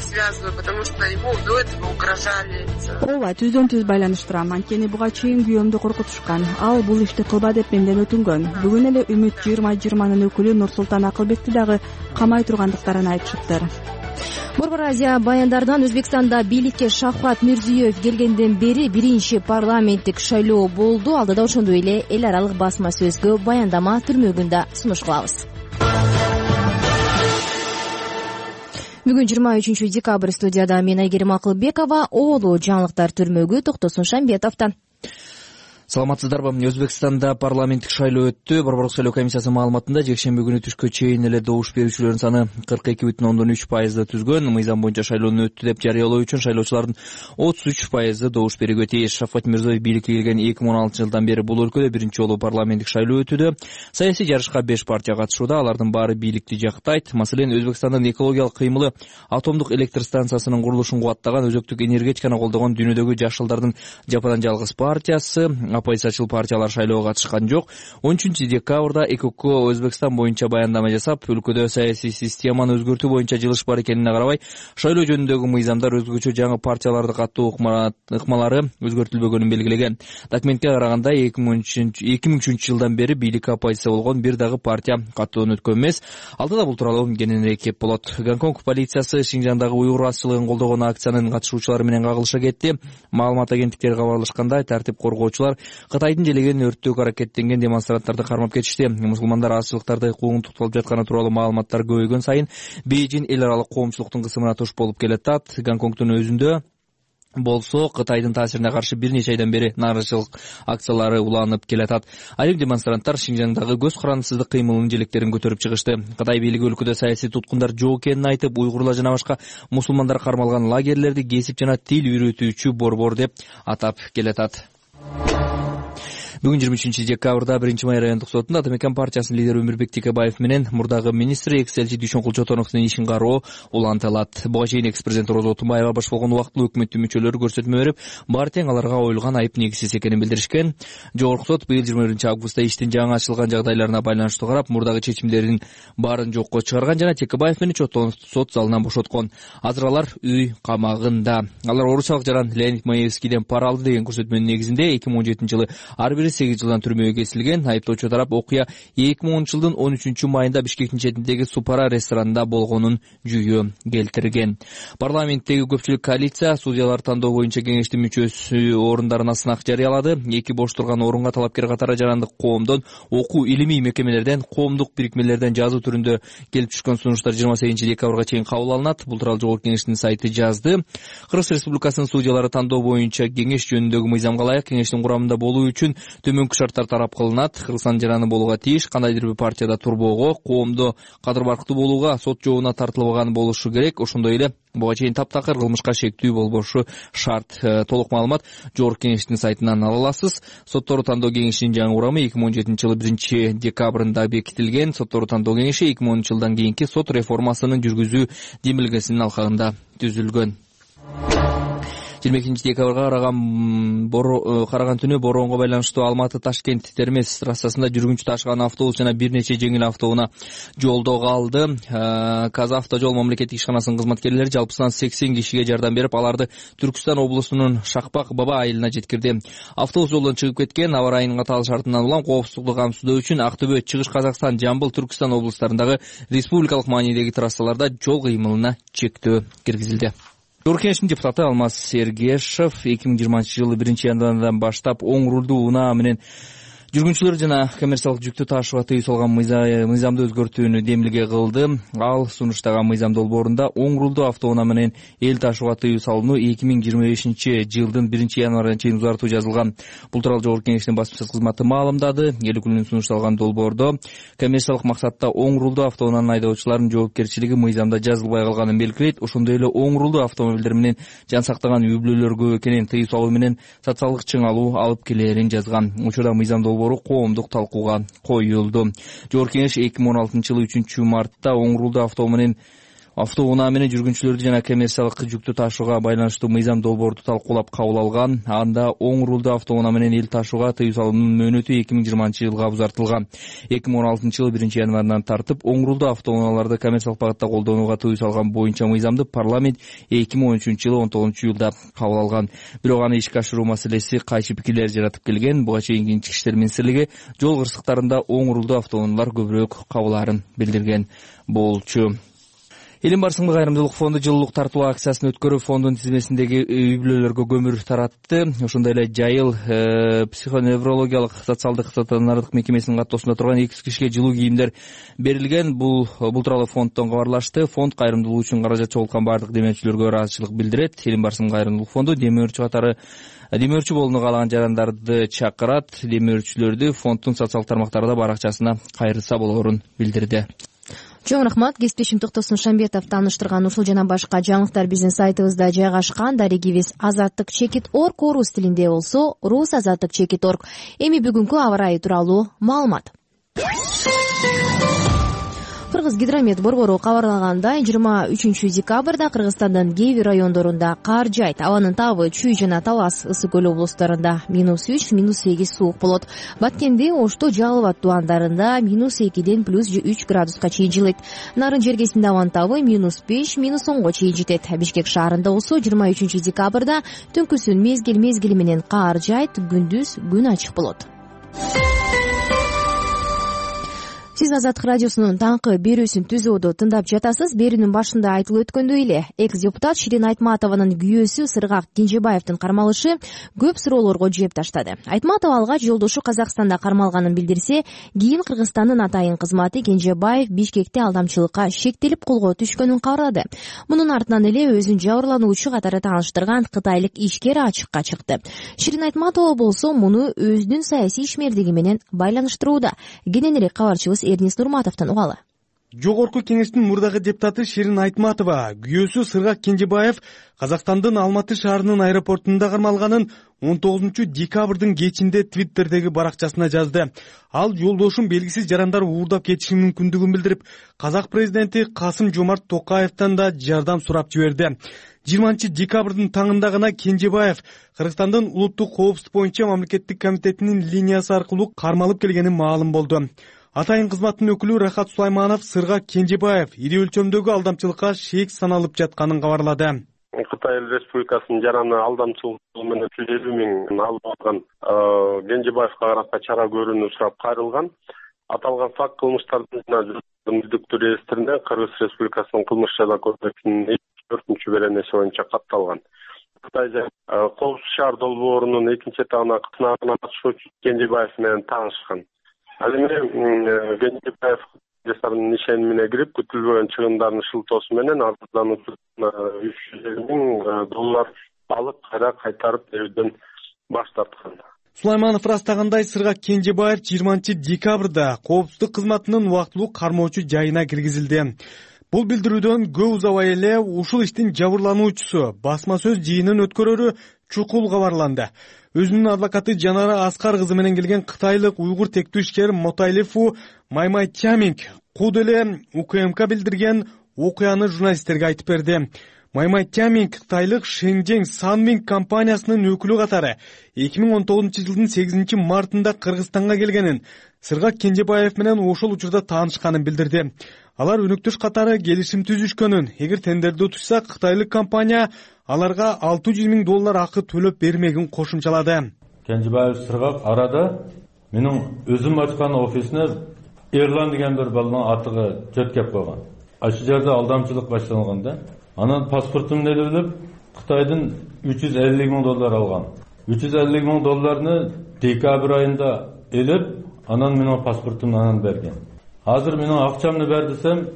Связываю, потому что ему до этого угрожали. Ооба, түздөн-түз байланыштырам. Анткени буга чейин күйөөмдү коркутушкан. Ал бул ишти кылба деп менден өтүнгөн. Бүгүн эле Үмүт 2020нын өкүлү Нурсултан Акылбекти дагы камай тургандыктарын айтышыптыр. Борбор Азия баяндарынан Өзбекстанда бийликке Шавкат Мирзиёев келгенден бери биринчи парламенттик шайлоо болду. Алдыда ошондой эле эл аралык басма сөзгө баяндама түрмөгүндө сунуш кылабыз. Бүгүн 23 декабрь студияда мен Айгерим Акылбекова, оолу жаңылыктар түрмөгү Токтосун Шамбетовдон. Саламатсыздарбы? Өзбекстанда парламенттик шайлоо өттү. Борборлук шайлоо комиссиясынын маалыматында жекшемби күнү түшкө чейин эле добуш берүүчүлөрдүн саны 42,3% түзгөн. Мыйзам боюнча шайлоону өттү деп жарыялоо үчүн шайлоочулардын 33% добуш берүүгө тийиш. Шавкат Мирзиёев бийликке келген 2016 жылдан бери бул өлкөдө биринчи жолу парламенттик шайлоо өтүүдө. Саясий жарышка 5 партия катышууда. Алардын баары бийликти жактайт. Маселен, Өзбекстандын экологиялык кыймылы атомдук электр станциясынын курулушун кубаттаган, өзөктүк энергетиканы колдогон дүйнөдөгү жашылдардын жападан жалгыз партиясы. Оппозициячыл партиялар шайлоого катышкан жок. 13 декабрда ЭКОК Өзбекстан боюнча баяндама жасап, өлкөдө саясий системаны өзгөртүү боюнча жылыш бар экенине карабай, шайлоо жөнүндөгү мыйзамдар өзгөчө жаңы партияларды каттоо ыкмалары өзгөртүлбөгөнүн белгилеген. Документке караганда 2003 жылдан бери бийликке оппозиция болгон бир дагы партия каттоодон өткөн эмес. Алдыда бул тууралуу кененирээк кеп болот. Гонконг полициясы Шинжаңдагы уйгур азчылыгын колдогон акциянын катышуучулары менен кагылышка кетти. Маалымат агенттиктери кабарлашкандай, тартип коргоочулар Кытайдын желеген өрттөөгө аракеттенген демонстранттарды кармап кетишти. Мусулмандар азчылыктарды куугунтукталып жатканы тууралуу маалыматтар көбөйгөн сайын Бейжин эл аралык коомчулуктун кысымына туш болуп келатат. Гонконгдун өзүндө болсо Кытайдын таасирине каршы бир нече айдан бери нааразычылык акциялары уланып келатат. Айрым демонстранттар Шинжаңдагы көз карандысыздык кыймылынын желектерин көтөрүп чыгышты. Кытай бийлиги өлкөдө саясий туткундар жок экенин айтып, уйгурлар жана башка мусулмандар кармалган лагерлерди кесип жана тил үйрөтүүчү борбор деп атап келатат. Бүгүн 23 декабрда 1-Май райондук сотунда Атамекен партиясынын лидери Өмүрбек Текебаев менен мурдагы министр экс-элчи Дүйшөнкул Чотоновдун ишин кароо улантылат. Буга чейин экс-президент Роза Отунбаева баш болгон убактылуу өкмөттүн мүчөлөрү көрсөтмө берип, баары тең аларга коюлган айып негизсиз экенин билдиришкен. Жогорку сот быйыл 21-августта иштин жаңы ачылган жагдайларына байланыштуу карап, мурдагы чечимдердин баарын жокко чыгарган жана Текебаев менен Чотонов сот залынан бошоткон. Азыр алар үй камагында. Алар орусиялык жаран Леонид Маевскийден пара алды деген көрсөтмөнүн негизинде 2017 жылы ар бири 8 жылдан түрмөгө кесилген. Айыптоочу тарап окуя 2010 жылдын 13 майында Бишкектин четиндеги Супара ресторанында болгонун жүйө келтирген. Парламенттеги көпчүлүк коалиция судьялар тандоо боюнча кеңештин мүчөсү орундарына сынак жарыялады. 2 бош турган орунга талапкер катары жарандык коомдон, окуу илимий мекемелерден, коомдук бирикмелерден жазуу түрүндө келип түшкөн сунуштар 28 декабрга чейин кабыл алынат. Бул тууралуу Жогорку кеңештин сайты жазды. Кыргыз Республикасынын судьялары тандоо боюнча кеңеш жөнүндөгү мыйзамга ылайык кеңештин курамында болуу үчүн төмөнкү шарттар тарап кылынат. Кыргызстан жараны болууга тийиш, кандайдыр бир партияда турбоого, коомдо кадыр барктуу болууга, сот жообуна тартылбаган болушу керек. Ошондой эле буга чейин таптакыр кылмышка шектүү болбошу шарт. Толук маалымат Жогорку кеңештин сайтынан ала аласыз. Соттору тандоо кеңешинин жаңы курамы 2017 жылы 1 декабрында бекитилген. Соттору тандоо кеңеши 2010 жылдан кийинки сот реформасынын жүргүзүү демилгесинин алкагында түзүлгөн. 22 декабрга караган түнү бороонго байланыштуу Алматы Ташкент Термез трассасында жүргүнчү ташыган автобус жана бир нече жеңил автоунаа жолдо калды. Казавтожол мамлекеттик ишканасынын кызматкерлери жалпысынан 80 кишиге жардам берип, аларды Түркүстан облусунун Шакпак Баба айылына жеткирди. Автобус жолдон чыгып кеткен. Аба ырайынын катаал шартынан улам коопсуздукту камсыздоо үчүн Актөбө, Чыгыш Казакстан, Жамбыл, Түркүстан облустарындагы республикалык маанидеги трассаларда жол кыймылына чектөө киргизилди. Жогорку Кеңештин депутаты Алмаз Сергешев 2020-жылы 1-январдан баштап оң рулдуу унаа менен жүргүнчүлөр жана коммерциялык жүктү таашууга тыюу салган мыйзамды өзгөртүүнү демилге кылды. Ал сунуштаган мыйзам долбоорунда оң рулдуу автоунаа менен эл таашууга тыюу салууну 2025-жылдын 1-январына чейин узартуу жазылган. Бул тууралуу Жогорку Кеңештин басма кызматы маалымдады. Эл өкүлүнүн сунушталган долбоордо коммерциялык максатта оң рулдуу автоунаанын айдоочуларынын жоопкерчилиги мыйзамда жазылбай калганын белгилейт. Ошондой эле оң рулдуу автомобилдер менен жан сактаган үй-бүлөлөр көп экенин тыюу салуу менен социалдык чыңалуу алып келээрин жазган. Учурда мыйзам коомдук талкууга коюлду. Жогорку Кеңеш 2016-жылы 3-мартта оң рулдуу автоунаа менен жүргүнчүлөрдү жана коммерциялык жүктү таашууга байланыштуу мыйзам долбоорду талкуулап кабыл алган. Анда оң рулдуу автоунаа менен эл таашууга тыюу салуунун мөөнөтү 2020-жылга узартылган. 2016-жылы 1-январынан тартып оң рулдуу автоунааларды коммерциялык багытта колдонууга тыюу салган боюнча мыйзамды парламент 2013-жылы 19-июлда кабыл алган. Бирок аны ишке ашыруу маселеси кайчы пикирлер жаратып келген. Буга чейин Ички иштер министрлиги жол кырсыктарында оң рулдуу автоунаалар көбүрөөк кабылаарын билдирген болчу. Элим барысыңдык кайрымдуулук фонду жылуулук тартуу акциясын өткөрүп, фондун тизмесиндеги үй-бүлөлөргө көмүр таратты. Ошондой эле Жайыл психоневрологиялык социалдык стационардык мекемесинин каттоосунда турган 200 кишиге жылуу кийимдер берилген. Бул тууралуу фонддон кабарлашты. Фонд кайрымдуулук үчүн каражат чогулткан бардык демөөрчүлөргө ыраазычылык билдирет. Элим барысыңдык кайрымдуулук фонду демөөрчү болууну каалаган жарандарды чакырат. Демөөрчүлөрдү фонддун социалдык тармактарда баракчасына кайрылса болоорун билдирди. Чоң рахмат. Кесиптешим Токтосун Шамбетов тааныштырган ушул жана башка жаңылыктар биздин сайтыбызда жайгашкан. Дарегибиз azattik.org, орус тилинде болсо rusazattik.org. Эми бүгүнкү аба ырайы тууралуу маалымат. Кыргыз гидромет борбору кабарлагандай, 23 декабрда Кыргызстандын кээ бир райондорунда кар жайт. Абанын табы Чүй жана Талас, Ысык көл облустарында -3, -8 суук болот. Баткенде, Ошто, Жалал Абад тубандарында -2ден +3 градуска чейин жылыйт. Нарын жергесинде абанын табы -5, -10го чейин жетет. Бишкек шаарында болсо 23 декабрда түнкүсүн мезгил менен кар жайт, күндүз күн ачык болот. Сиз Азаттык радиосунун таңкы берүүсүн түзүүдө тыңдап жатасыз. Берүүнүн башында айтылып өткөндөй эле, экс-депутат Ширин Айтматованын күйөөсү Сыргак Кенжебаевдин кармалышы көп суроолорго жооп таштады. Айтматова алга жолдошу Казакстанда кармалганын билдирсе, кийин Кыргызстандын атайын кызматы Кенжебаев Бишкекте алдамчылыкка шектелип колго түшкөнүн кабарлады. Мунун артынан эле өзүн жабырлануучу катары тааныштырган кытайлык ишкер ачыкка чыкты. Ширин Айтматова болсо муну өзүнүн саясий ишмердиги менен байланыштырууда. Кененирээк кабарчыбыз Эрнис Нурматовдон угалы. Жогорку Кеңештин мурдагы депутаты Ширин Айтматова күйөөсү Сыргак Кенжебаев Казакстандын Алматы шаарынын аэропортунда кармалганын 19 декабрдын кечинде Твиттердеги баракчасына жазды. Ал жолдошум белгисиз жарандар уурдап кетиши мүмкүндүгүн билдирип, казак президенти Касым-Жомарт Токаевден да жардам сурап жиберди. 20 декабрдын таңында гана Кенжебаев Кыргызстандын улуттук коопсуздук боюнча мамлекеттик комитетинин линиясы аркылуу кармалып келгени маалым болду. Атайын кызматтын өкүлү Рахат Сулайманов Сыргак Кенжебаев ири өлчөмдөгү алдамчылыкка шек саналып жатканын кабарлады. Кытай Республикасынын жараны алдамчылык менен 150 миң алып алган Кенжебаевга карата чара көрүүнү сурап кайрылган. Аталган факт кылмыштардын мүлдүктүү реестрине Кыргыз Республикасынын кылмыш жаза кодексинин 4-чү беренеси боюнча катталган. Кытай коопсуз шаар долбоорунун 2-этабына сынагына катышуучу Кенжебаев менен таанышкан. Ал эми Кенжебаев жасаган ишенимине кирип, күтүлбөгөн чыгымдардын шылтоосу менен арыздануучу $300 миң алып кайтарып берүүдөн баш тарткан. Сулайманов ырастагандай, Сыргак Кенжебаев 20 декабрда коопсуздук кызматынын убактылуу кармоочу жайына киргизилди. Бул билдирүүдөн көп узабай эле ушул иштин жабырлануучусу басма сөз жыйынын өткөрөрү чукул кабарланды. Өзүнүн адвокаты Жанара Аскар кызы менен келген кытайлык уйгур тектүү ишкер Мотайлифу Маймайтчаминг куд эле УКМК билдирген окуяны журналисттерге айтып берди. Маймай Тяминг кытайлык Шэньчжэнь Санвинг компаниясынын өкүлү катары 2019 жылдын 8 мартында Кыргызстанга келгенин, Сыргак Кенжебаев менен ошол учурда таанышканын билдирди. Алар өнөктөш катары келишим түзүшкөнүн, эгер тендерди утушса кытайлык компания аларга $600,000 акы төлөп бермегин кошумчалады. Кенжебаев Сыргак арада менин өзүм ачкан офисине Эрлан деген бир баланын атыгы жөт кеп койгон. Ачы жерде алдамчылык башталган да. Анан паспортумду элеп Кытайдын $350,000 алган. $350,000 декабрь айында элеп, анан менин паспортумду анан берген. Азыр менин акчамды бер десем,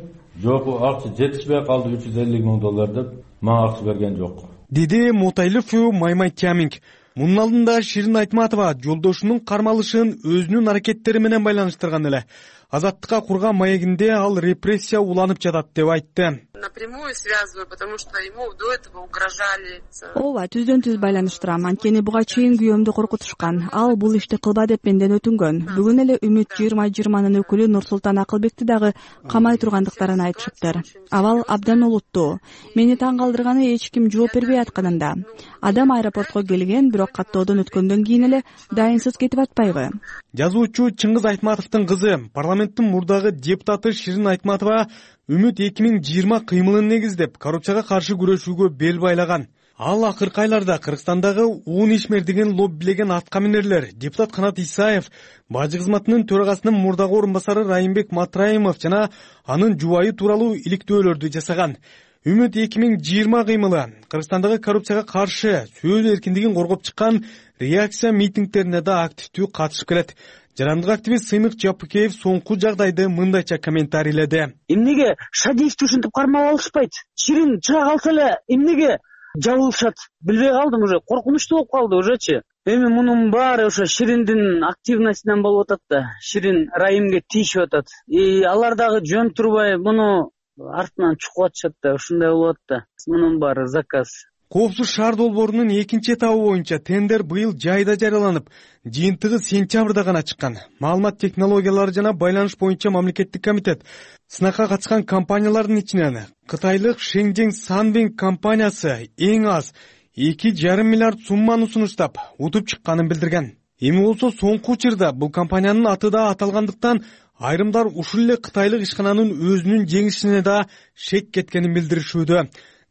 жок, акча жетишпей калды $350,000 деп, мага акча берген жок. Деди Мутайлыф Маймай Тяминг. Мунун алдында Ширин Айтматова жолдошунун кармалышын өзүнүн аракеттери менен байланыштырган эле. Азаттыкка курган маегинде ал репрессия уланып жатат деп айтты. Напрямую связываю, потому что ему до этого угрожали. Ооба, түздөн түз байланыштырам. Анткени буга чейин күйөөмдү коркутушкан. Ал бул ишти кылба деп менден өтүнгөн. Бүгүн эле Үмүт 2020нын өкүлү Нурсултан Акылбекти дагы камай тургандыктарын айтышыптыр. Абал абдан олуттуу. Мени таң калтырганы эч ким жооп бербей атканында. Адам аэропортко келген, бирок каттоодон өткөндөн кийин эле дайынсыз кетип атпайбы? Жазуучу Чыңгыз Айтматовдун кызы, парламенттин мурдагы депутаты Ширин Айтматова Үмүт 2020 кыймылын негиздеп, коррупцияга каршы күрөшүүгө бел байлаган. Ал акыркы айларда Кыргызстандагы уун ишмердигин лоббилеген аткаминерлер депутат Канат Исаев, бажы кызматынын төрагасынын мурдагы орун басары Райымбек Матраимов жана анын жубайы тууралуу иликтөөлөрдү жасаган. Үмүт 2020 кыймылы Кыргызстандагы коррупцияга каршы сөз эркиндигин коргоп чыккан реакция митингдерине да активдүү катышып келет. Жарандык активист Сыймык Жапыкеев соңку жагдайды мындайча комментарийледи. Эмнеге Шадиевди ушинтип кармап алышпайт? Ширин чыга калса эле эмнеге жабылышат? Билбей калдым, уже коркунучтуу болуп калды ужечи. Эми мунун баары ошо Шириндин активностунан болуп атат да. Ширин Райымге тийишип атат. Алар дагы жөн турбай муну артынан чукуп атышат да, ушундай болуп атат да. Мунун баары заказ. Коопсуз шаар долбоорунун экинчи этабы боюнча тендер быйыл жайда жарыяланып, жыйынтыгы сентябрда гана чыккан. Маалымат технологиялары жана байланыш боюнча мамлекеттик комитет сынакка катышкан компаниялардын ичинен кытайлык Шэньчжэнь Санвинг компаниясы эң аз 2,5 миллиард сумманы сунуштап, утуп чыкканын билдирген. Эми болсо соңку учурда бул компаниянын аты да аталгандыктан айрымдар ушул эле кытайлык ишкананын өзүнүн жеңишине да шек кеткенин билдиришүүдө.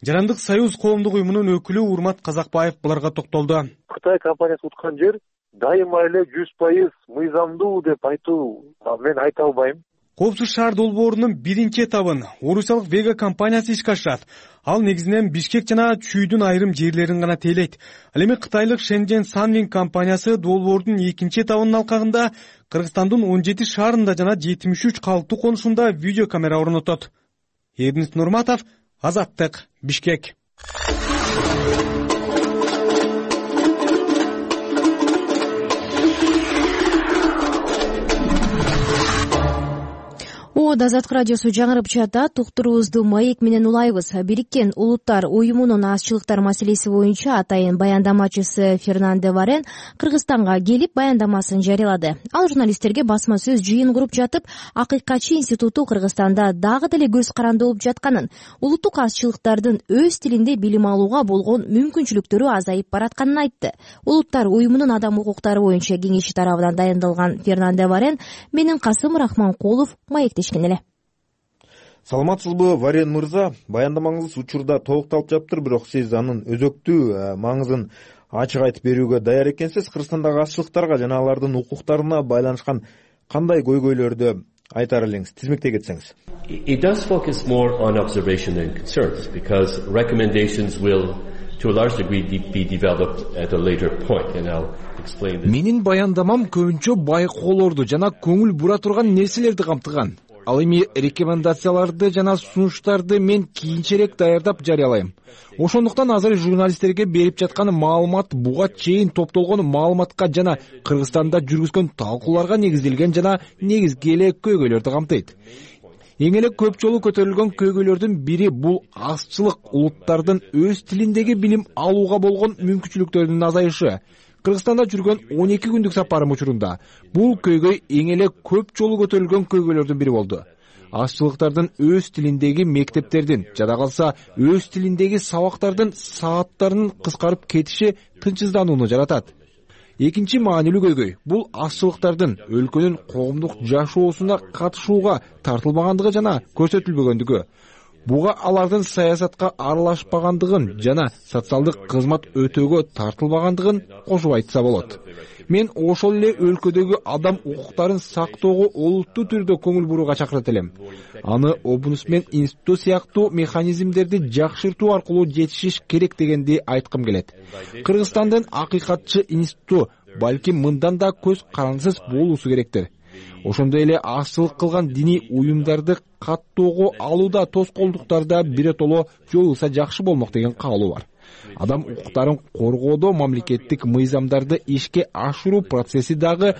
Жарандык союз коомдук уюмунун өкүлү Урмат Казакбаев буларга токтолду. Кытай компаниясы уткан жер дайыма эле 100% мыйзамдуу деп айтуу мен айта албайм. Коопсуз шаар долбоорунун биринчи этабын орусиялык Вега компаниясы ишке ашырат. Ал негизинен Бишкек жана Чүйдүн айрым жерлерин гана тейлейт. Ал эми кытайлык Шэньчжэнь Санвинг компаниясы долбоордун экинчи этабынын алкагында Кыргызстандын 17 шаарында жана 73 калктуу конушунда видео камера орнотот. Эрнис Нурматов, Азаттык, Бишкек. Азаттык радиосу жаңырып жатат. Уктуруубузду маек менен улайбыз. Бириккен Улуттар уюмунун азчылыктар маселеси боюнча атайын баяндамачысы Фернанде Варен Кыргызстанга келип баяндамасын жарыялады. Ал журналисттерге басма сөз жыйын куруп жатып, Акыйкатчы институту Кыргызстанда дагы деле көз каранды болуп жатканын, улуттук азчылыктардын өз тилинде билим алууга болгон мүмкүнчүлүктөрү азайып баратканын айтты. Улуттар уюмунун адам укуктары боюнча кеңеши тарабынан дайындалган Фернанде Варен менен Касым Рахманкулов маектешкен эле. Саламатсызбы, Варен мырза? Баяндамаңыз учурда толукталып жатыптыр, бирок сиз анын өзөктүү маңызын ачык айтып берүүгө даяр экенсиз. Кыргызстандагы азчылыктарга жана алардын укуктарына байланышкан кандай көйгөйлөрдү айтар элеңиз, тизмектей кетсеңиз. It does focus more on observation and concerns because recommendations will to a large degree be developed at a later point and I'll explain this. Менин баяндамам көбүнчө байкоолорду жана көңүл бура турган нерселерди камтыган. Ал эми рекомендацияларды жана сунуштарды мен кийинчерээк даярдап жарыялайм. Ошондуктан азыр журналисттерге берип жаткан маалымат буга чейин топтолгон маалыматка жана Кыргызстанда жүргүзгөн талкууларга негизделген жана негизги эле көйгөйлөрдү камтыйт. Эң эле көп жолу көтөрүлгөн көйгөйлөрдүн бири бул азчылык улуттардын өз тилиндеги билим алууга болгон мүмкүнчүлүктөрүнүн азайышы. Кыргызстанда жүргөн 12 күндүк сапарым учурунда бул көйгөй эң эле көп жолу көтөрүлгөн көйгөйлөрдүн бири болду. ашчылыктардын өз тилиндеги мектептердин жада калса өз тилиндеги сабактардын сааттарынын кыскарып кетиши тынчсызданууну жаратат. Экинчи маанилүү көйгөй бул ашчылыктардын өлкөнүн коомдук жашоосуна катышууга тартылбагандыгы жана көрсөтүлбөгөндүгү. Буга алардын саясатка аралашпагандыгын жана социалдык кызмат өтөөгө тартылбагандыгын кошуп айтса болот. Мен ошол эле өлкөдөгү адам укуктарын сактоого олуттуу түрдө көңүл бурууга чакырат элем. Аны Омбудсмен институту сыяктуу механизмдерди жакшыртуу аркылуу жетишиш керек дегенди айткым келет. Кыргызстандын акыйкатчы институту балким мындан да көз карандысыз болуусу керектир. Ошондой эле ашчылык кылган диний уюмдарды каттоого алууда тоскоолдуктарда биротоло жоюлса жакшы болмок деген каалоо бар. Адам укуктарын коргоодо мамлекеттик мыйзамдарды ишке ашыруу процесси дагы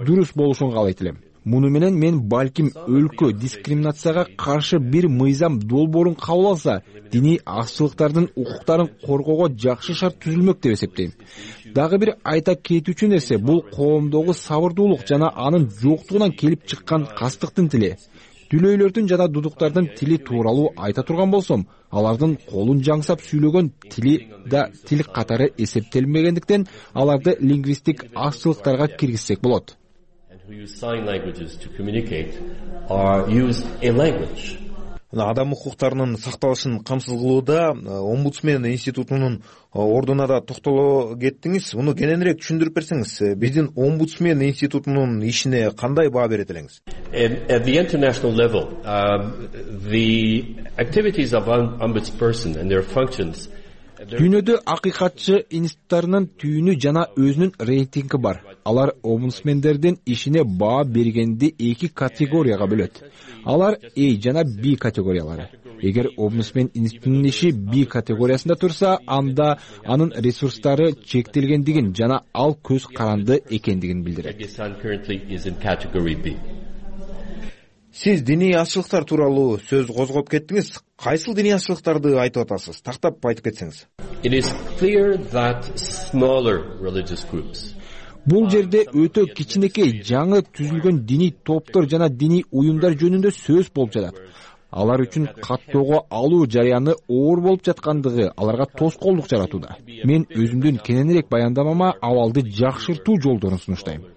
дурус болушун каалайт элем. Муну менен мен балким өлкө дискриминацияга каршы бир мыйзам долбоорун кабыл алса, диний ашчылыктардын укуктарын коргоого жакшы шарт түзүлмөк деп эсептейм. Дагы бир айта кетүүчү нерсе бул коомдогу сабырдуулук жана анын жоктугунан келип чыккан кастыктын тили. Дүлөйлөрдүн жана дудуктардын тили тууралуу айта турган болсом, алардын колун жаңсап сүйлөгөн тили да тил катары эсептелмегендиктен аларды лингвистик ашчылыктарга киргизсек болот. Адам укуктарынын сакталышын камсыз кылууда Омбудсмен институтунун ордуна да токтоло кеттиңиз. Муну кененирээк түшүндүрүп берсеңиз, биздин Омбудсмен институтунун ишине кандай баа берет элеңиз? At the international level, the activities of ombudsperson and their functions. Дүйнөдө акыйкатчы институттарынын түйүнү жана өзүнүн рейтинги бар. Алар омбудсмендердин ишине баа бергенди эки категорияга бөлөт. Алар A жана B категориялары. Эгер омбудсмен институтунун иши B категориясында турса, анда анын ресурстары чектелгендигин жана ал көз каранды экендигин билдирет. Сиз диний ашчылыктар тууралуу сөз козгоп кеттиңиз. Кайсыл диний ашчылыктарды айтып атасыз? Тактап айтып кетсеңиз. It is clear that smaller religious groups. Бул жерде өтө кичинекей жаңы түзүлгөн диний топтор жана диний уюмдар жөнүндө сөз болуп жатат. Алар үчүн каттоого алуу жарыяны оор болуп жаткандыгы аларга тоскоолдук жаратууда. Мен өзүмдүн кененирээк баяндамама абалды жакшыртуу жолдорун сунуштайм.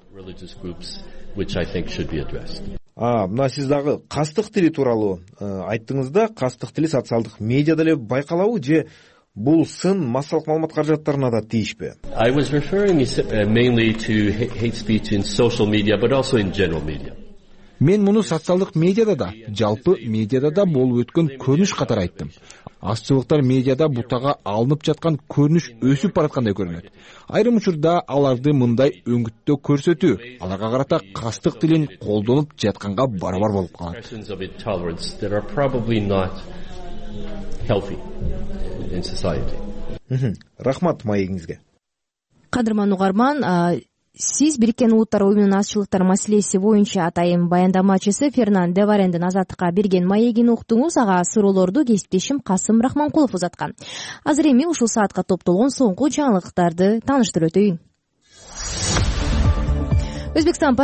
Мына сиз дагы кастык тили тууралуу айттыңыз да, кастык тили социалдык медиада эле байкалабы же бул сын массалык маалымат каражаттарына да тийишпи? I was referring mainly to hate speech in social media, but also in general media. Мен муну социалдык медиада да, жалпы медиада да болуп өткөн көрүнүш катары айттым. Ашчылыктар медиада бутага алынып жаткан көрүнүш өсүп бараткандай көрүнөт. Айрым учурда аларды мындай өңгүттө көрсөтүү аларга карата кастык тилин колдонуп жатканга барабар болуп калат. Рахмат маегиңизге. Кадырман угарман, сиз Бириккен Улуттар уюмунун ашчылыктар маселеси боюнча атайын баяндамачысы Фернан Деварендин Азаттыкка берген маегин уктуңуз. Ага суроолорду кесиптешим Касым Рахманкулов узаткан. Азыр эми ушул саатка топтолгон соңку жаңылыктарды тааныштырып өтөйүн. Өзбекстанда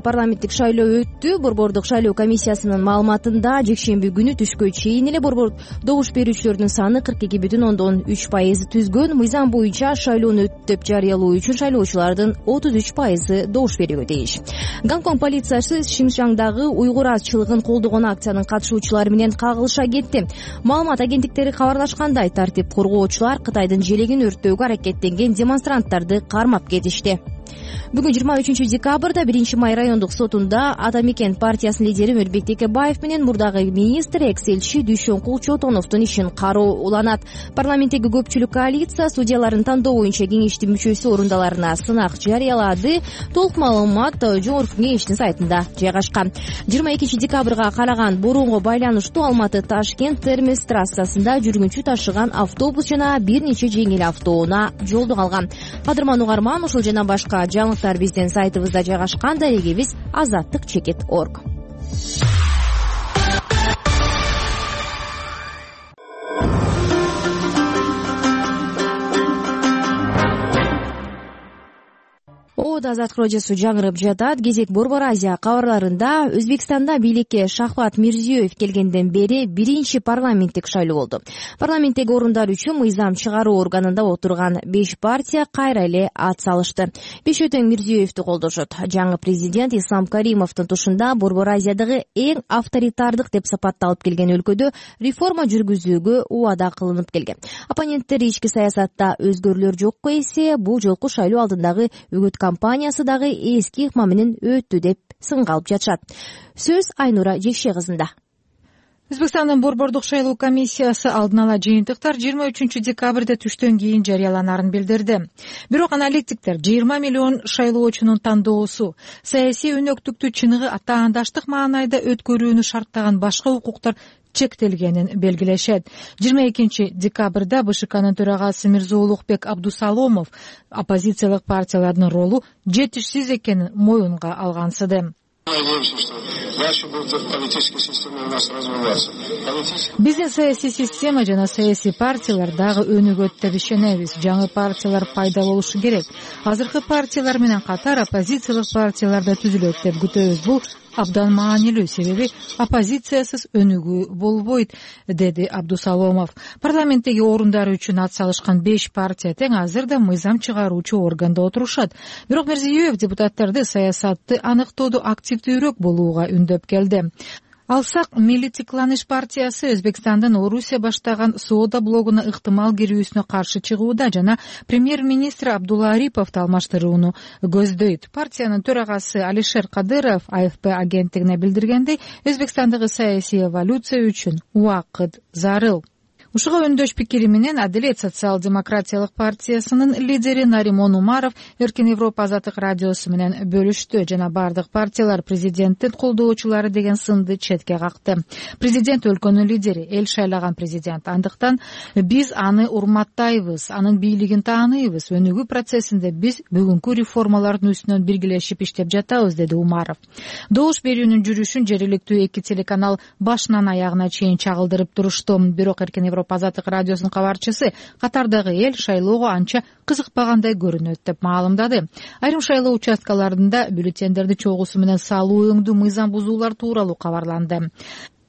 парламенттик шайлоо өттү. Борбордук шайлоо комиссиясынын маалыматында жекшемби күнү түшкө чейин эле борбор добуш берүүчүлөрдүн саны 42,3% түзгөн. Мыйзам боюнча шайлоону өттү деп жарыялоо үчүн шайлоочулардын 33% добуш берүүгө тийиш. Гонконг полициясы Шинжаңдагы уйгур азчылыгын колдогон акциянын катышуучулары менен кагылыша кетти. Маалымат агенттиктери кабарлашкандай, тартип коргоочулар Кытайдын желегин өрттөөгө аракеттенген демонстранттарды кармап кетишти. Бүгүн 23 декабрда 1 май райондук сотунда Ата Мекен партиясынын лидери Мөлбек Текебаев менен мурдагы министр экс-элчи Дүйшөнкул Чотоновдун ишин кароо уланат. Парламенттеги көпчүлүк коалиция судьяларын тандоо боюнча кеңештин мүчөсү орундаларына сынак жарыялады. Толук маалымат жогорку кеңештин сайтында жайгашкан. 22 декабрга караган борунго байланыштуу Алматы Ташкент Термес трассасында жүргүнчү ташыган автобус жана бир нече жеңил автоунаа жолдо калган. Кадырман угарман, ушул жана башка жаңылыктар биздин сайтыбызда жайгашкан. Дарегибиз azаттык.org. Оодо Азаттык радиосу жаңырып жатат. Кезек Борбор Азия кабарларында Өзбекстанда бийликке Шахват Мирзиёев келгенден бери биринчи парламенттик шайлоо болду. Парламенттеги орундар үчүн мыйзам чыгаруу органында отурган 5 партия кайра эле ат салышты. Бешөтөң Мирзиёевди колдошот. Жаңы президент Ислам Каримовдун тушунда Борбор Азиядагы эң авторитардык деп сапатталып келген өлкөдө реформа жүргүзүүгө убада кылынып келген. Оппоненттер ички саясатта өзгөрүүлөр жокко эсе бул жолку шайлоо алдындагы үгүт компаниясы дагы эски ыкма менен өттү деп сынга алып жатышат. Сөз Айнура Жекше кызында. Өзбекстандын борбордук шайлоо комиссиясы алдын ала жыйынтыктар 23 декабрда түштөн кийин жарыяланарын билдирди. Бирок аналитиктер 20 миллион шайлоочунун тандоосу саясий өнөктүктү чыныгы атаандаштык маанайда өткөрүүнү шарттаган башка укуктар чектелгенин белгилешет. 22 декабрда БШКнын төрагасы Мирзоулукбек Абдусаломов оппозициялык партиялардын ролу жетишсиз экенин моюнга алгансыды. Биздин саясий система жана саясий партиялар дагы өнүгөт деп ишенебиз. Жаңы партиялар пайда болушу керек. Азыркы партиялар менен катар оппозициялык партиялар да түзүлөт деп күтөбүз. Бул абдан маанилүү, себеби оппозициясыз өнүгүү болбойт, деди Абдусаломов. Парламенттеги орундары үчүн ат салышкан 5 партия тең азыр да мыйзам чыгаруучу органда отурушат. Бирок Мирзиёев депутаттарды саясатты аныктоодо активдүүрөөк болууга үндөп келди. Алсак, Милли Цикланыш партиясы Өзбекстандын Орусия баштаган соода блогуна ыктымал кирүүсүнө каршы чыгууда жана премьер-министр Абдулла Ариповду алмаштырууну көздөйт. Партиянын төрагасы Алишер Кадыров АФП агенттигине билдиргендей, Өзбекстандагы саясий эволюция үчүн убакыт зарыл. Ушуга өндөш пикири менен Адилет социал-демократиялык партиясынын лидери Наримон Умаров Эркин Европа Азаттык радиосу менен бөлүштү жана бардык партиялар президенттин колдоочулары деген сынды четке какты. Президент өлкөнүн лидери, эл шайлаган президент. Андыктан биз аны урматтайбыз, анын бийлигин тааныйбыз. Өнүгүү процессинде биз бүгүнкү реформалардын үстүнөн биргелешип иштеп жатабыз, деди Умаров. Добуш берүүнүн жүрүшүн жергиликтүү 2 телеканал башынан аягына чейин чагылдырып турушту. Бирок Эркин Европа Азаттык радиосунун кабарчысы катардагы эл шайлоого анча кызыкпагандай көрүнөт деп маалымдады. Айрым шайлоо участкаларында бюллетендерди чогуусу менен салуу өңдүү мыйзам бузуулар тууралуу кабарланды.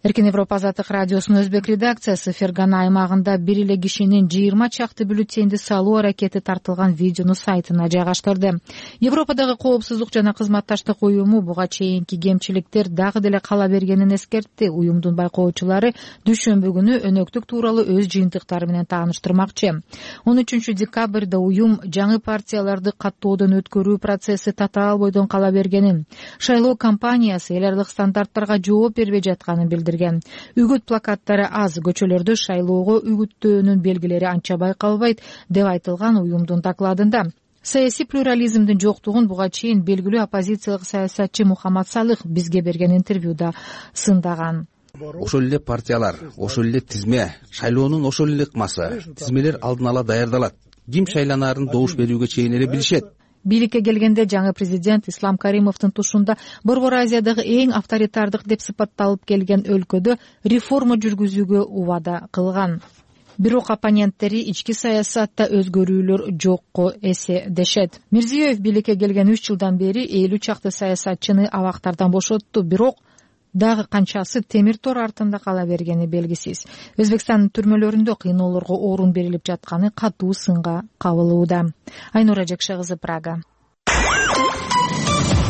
Эркин Европа Азаттык радиосунун өзбек редакциясы Фергана аймагында бир эле кишинин 20 чакты бюллетенди салуу аракети тартылган видеону сайтына жайгаштырды. Европадагы коопсуздук жана кызматташтык уюму буга чейинки кемчиликтер дагы деле кала бергенин эскертти. Уюмдун байкоочулары дүйшөмбү күнү өнөктүк тууралуу өз жыйынтыктары менен тааныштырмакчы. 13 декабрда уюм жаңы партияларды каттоодон өткөрүү процесси татаал бойдон кала бергенин, шайлоо кампаниясы эл аралык стандарттарга жооп бербей жатканын билдирди. Үгүт плакаттары аз, көчөлөрдө шайлоого үгүттөөнүн белгилери анча байкалбайт деп айтылган уюмдун докладында. Саясий плюрализмдин жоктугун буга чейин белгилүү оппозициялык саясатчы Мухаммад Салых бизге берген интервьюда сындаган. Ошол эле партиялар, ошол эле тизме, шайлоонун ошол эле ыкмасы, тизмелер алдын ала даярдалат. Ким шайланаарын добуш берүүгө чейин эле билишет. Бийликке келгенде жаңы президент Ислам Каримовдун тушунда Борбор Азиядагы эң авторитардык деп сыпатталып келген өлкөдө реформа жүргүзүүгө убада кылган. Бирок оппоненттери ички саясатта өзгөрүүлөр жокко эсе дешет. Мирзиёев бийликке келген 3 жылдан бери 50 чакты саясатчыны абактардан бошотту, бирок дагы канчасы темир тор артында кала бергени белгисиз. Өзбекстандын түрмөлөрүндө кыйноолорго орун берилип жатканы катуу сынга кабылууда. Айнура Жекше кызы, Прага.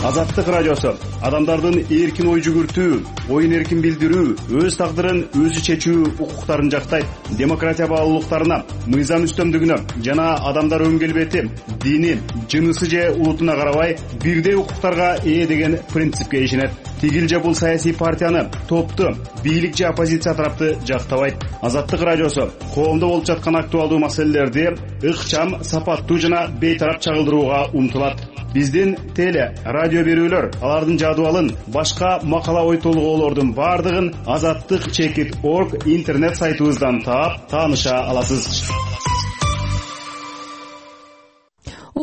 Азаттык радиосу адамдардын эркин ой жүгүртүү, оюн эркин билдирүү, өз тагдырын өзү чечүү укуктарын жактайт. Демократия баалуулуктарына, мыйзам үстөмдүгүнө жана адамдар өң келбети, дини, жынысы же улутуна карабай бирдей укуктарга ээ деген принципке ишенет. Тигил же бул саясий партияны, топту, бийлик же оппозиция тарапты жактабайт. Азаттык радиосу коомдо болуп жаткан актуалдуу маселелерди ыкчам, сапаттуу жана бейтарап чагылдырууга умтулат. Биздин теле, радио берүүлөр, алардын жадыбалын, башка макала ой толгоолордун бардыгын azattik.org интернет сайтыбыздан таап, тааныша аласыз.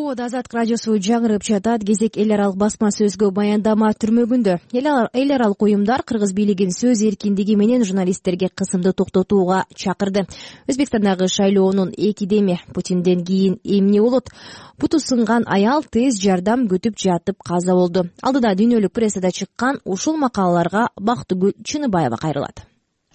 ободо Азаттык радиосу жаңырып жатат. Кезек эл аралык басма сөзгө баяндама түрмөгүндө. Эл аралык уюмдар кыргыз бийлигин сөз эркиндиги менен журналисттерге кысымды токтотууга чакырды. Өзбекстандагы шайлоонун 2 деми Путинден кийин эмне болот? Буту сынган аял тез жардам күтүп жатып каза болду. Алдыда дүйнөлүк прессада чыккан ушул макалаларга Бактыгүл Чыныбаева кайрылат.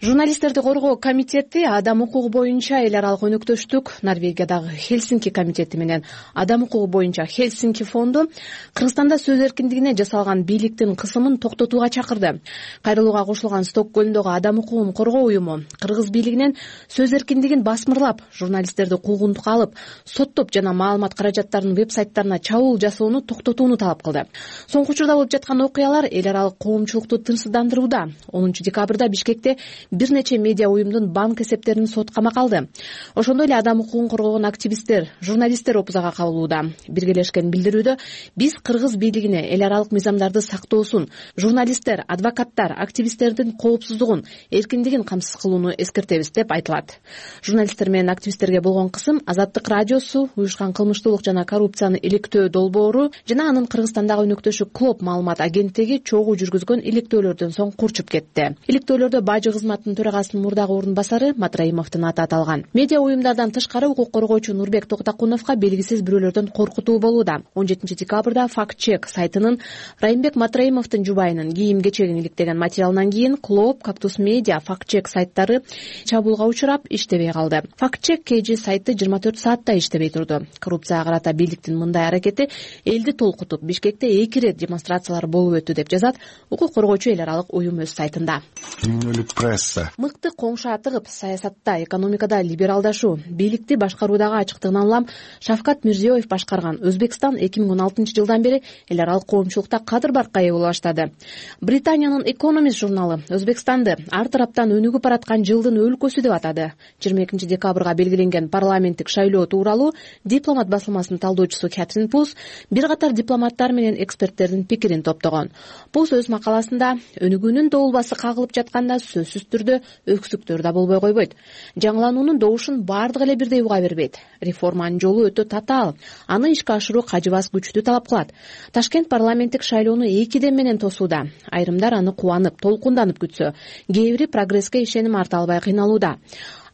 Журналисттерди коргоо комитети адам укугу боюнча эл аралык өнөктөштүк, Норвегиядагы Хельсинки комитети менен адам укугу боюнча Хельсинки фонду Кыргызстанда сөз эркиндигине жасалган бийликтин кысымын токтотууга чакырды. Кайрылууга кошулган Стокгольмдогу адам укугун коргоо уюму кыргыз бийлигинен сөз эркиндигин басмырлап, журналисттерди куугунтукка алып, соттоп жана маалымат каражаттарынын веб-сайттарына чабуул жасоону токтотууну талап кылды. Соңку учурда болуп жаткан окуялар эл аралык коомчулукту тынчсыздандырууда. 10 декабрда Бишкекте бир нече медиа уюмдун банк эсептерин сот камакка алды. Ошондой эле адам укугун коргогон активисттер, журналисттер опузага кабылууда. Биргелешкен билдирүүдө биз кыргыз бийлигине эл аралык мыйзамдарды сактоосун, журналисттер, адвокаттар, активисттердин коопсуздугун, эркиндигин камсыз кылууну эскертебиз деп айтылат. Журналисттер менен активисттерге болгон кысым Азаттык радиосу, уюшкан кылмыштуулук жана коррупцияны иликтөө долбоору жана анын Кыргызстандагы өнөктөшү Клоп маалымат агенттиги чогуу жүргүзгөн иликтөөлөрдөн соң курчуп кетти. Иликтөөлөрдө бажы кызматынын төрагасынын мурдагы орун басары Матраимовдун аты аталган. Медиа уюмдардан тышкары укук коргоочу Нурбек Токтакуновго белгисиз бирөөлөрдөн коркутуу болууда. 17 декабрда Фактчек сайтынын Райымбек Матраимовдун жубайынын кийим-кечегин иликтеген материалынан кийин Клоп, Кактус Медиа, Фактчек сайттары чабуулга учурап иштебей калды. Фактчек KG сайты 24 саатта иштебей турду. Коррупцияга карата бийликтин мындай аракети элди толкутуп, Бишкекте 2 ирет демонстрациялар болуп өттү деп жазат укук коргоочу эл аралык уюм өз сайтында. Мыкты коңшу атыгып, саясатта, экономикада либералдашуу, бийликти башкаруудагы ачыктыгынан улам Шавкат Мирзиёев башкарган Өзбекстан 2016 жылдан бери эл аралык коомчулукта кадыр баркка ээ боло баштады. Британиянын Economist журналы Өзбекстанды ар тараптан өнүгүп бараткан жылдын өлкөсү деп атады. 22 декабрга белгиленген парламенттик шайлоо тууралуу Дипломат басылмасынын талдоочусу Кэтрин Пус бир катар дипломаттар менен эксперттердин пикирин топтогон. Пус өз макаласында өнүгүүнүн доолбасы кагылып жатканда сөзсүз түрдө өксүктөр да болбой койбойт. Жаңылануунун добушун баардык эле бирдей уга бербейт. Реформанын жолу өтө татаал. Аны ишке ашыруу кажыбас күчтү талап кылат. Ташкент парламенттик шайлоону 2 дем менен тосууда. Айрымдар аны кубанып, толкунданып күтсө, кээ бири прогресске ишеним арта албай кыйналууда.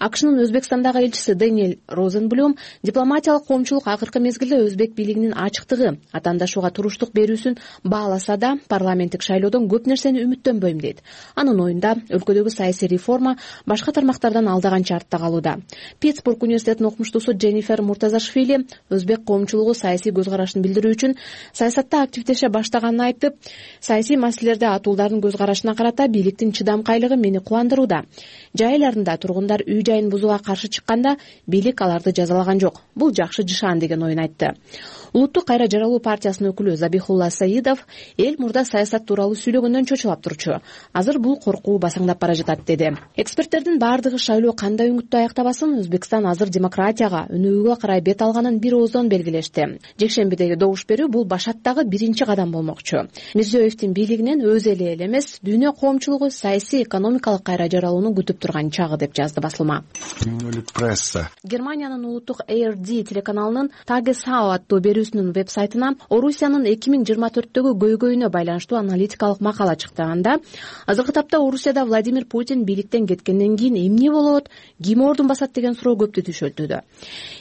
АКШнын Өзбекстандагы элчиси Дэниэл Розенблюм дипломатиялык коомчулук акыркы мезгилде өзбек бийлигинин ачыктыгы, атаандашууга туруштук берүүсүн бааласа да, парламенттик шайлоодон көп нерсени үмүттөнбөйм дейт. Анын оюнда өлкөдөгү саясий реформа башка тармактардан алдаганча артта калууда. Питтсбург университетинин окумуштуусу Дженнифер Муртазашвили өзбек коомчулугу саясий көз карашын билдирүү үчүн саясатта активдеше баштаганын айтып, саясий маселелерде атуулардын көз карашына карата бийликтин чыдамкайлыгы мени кубандырууда. Жай айларында тургундар үй жайын бузууга каршы чыкканда бийлик аларды жазалаган жок. Бул жакшы жышаан деген оюн айтты. Улуттук кайра жаралуу партиясынын өкүлү Забихулла Саидов эл мурда саясат тууралуу сүйлөгөндөн чочулап турчу. Азыр бул коркуу басаңдап бара жатат деди. Эксперттердин баардыгы шайлоо кандай үңүттүү аяктабасын Өзбекстан азыр демократияга, өнүгүүгө карай бет алганын бир ооздон белгилешти. Жекшембидеги добуш берүү бул башаттагы биринчи кадам болмокчу. Мирзиёевдин бийлигинен өз эли эл эмес, дүйнө коомчулугу саясий, экономикалык кайра жаралууну күтүп турган чагы деп жазды басылма. Германиянын улуттук ARD телеканалынын Tagesschau аттуу берүүсүнүн веб-сайтына Орусиянын 2024-төгү көйгөйүнө байланыштуу аналитикалык макала чыкты. Анда азыркы тапта Орусияда Владимир Путин бийликтен кеткенден кийин эмне болот, ким ордун басат деген суроо көптү түшөлтүүдө.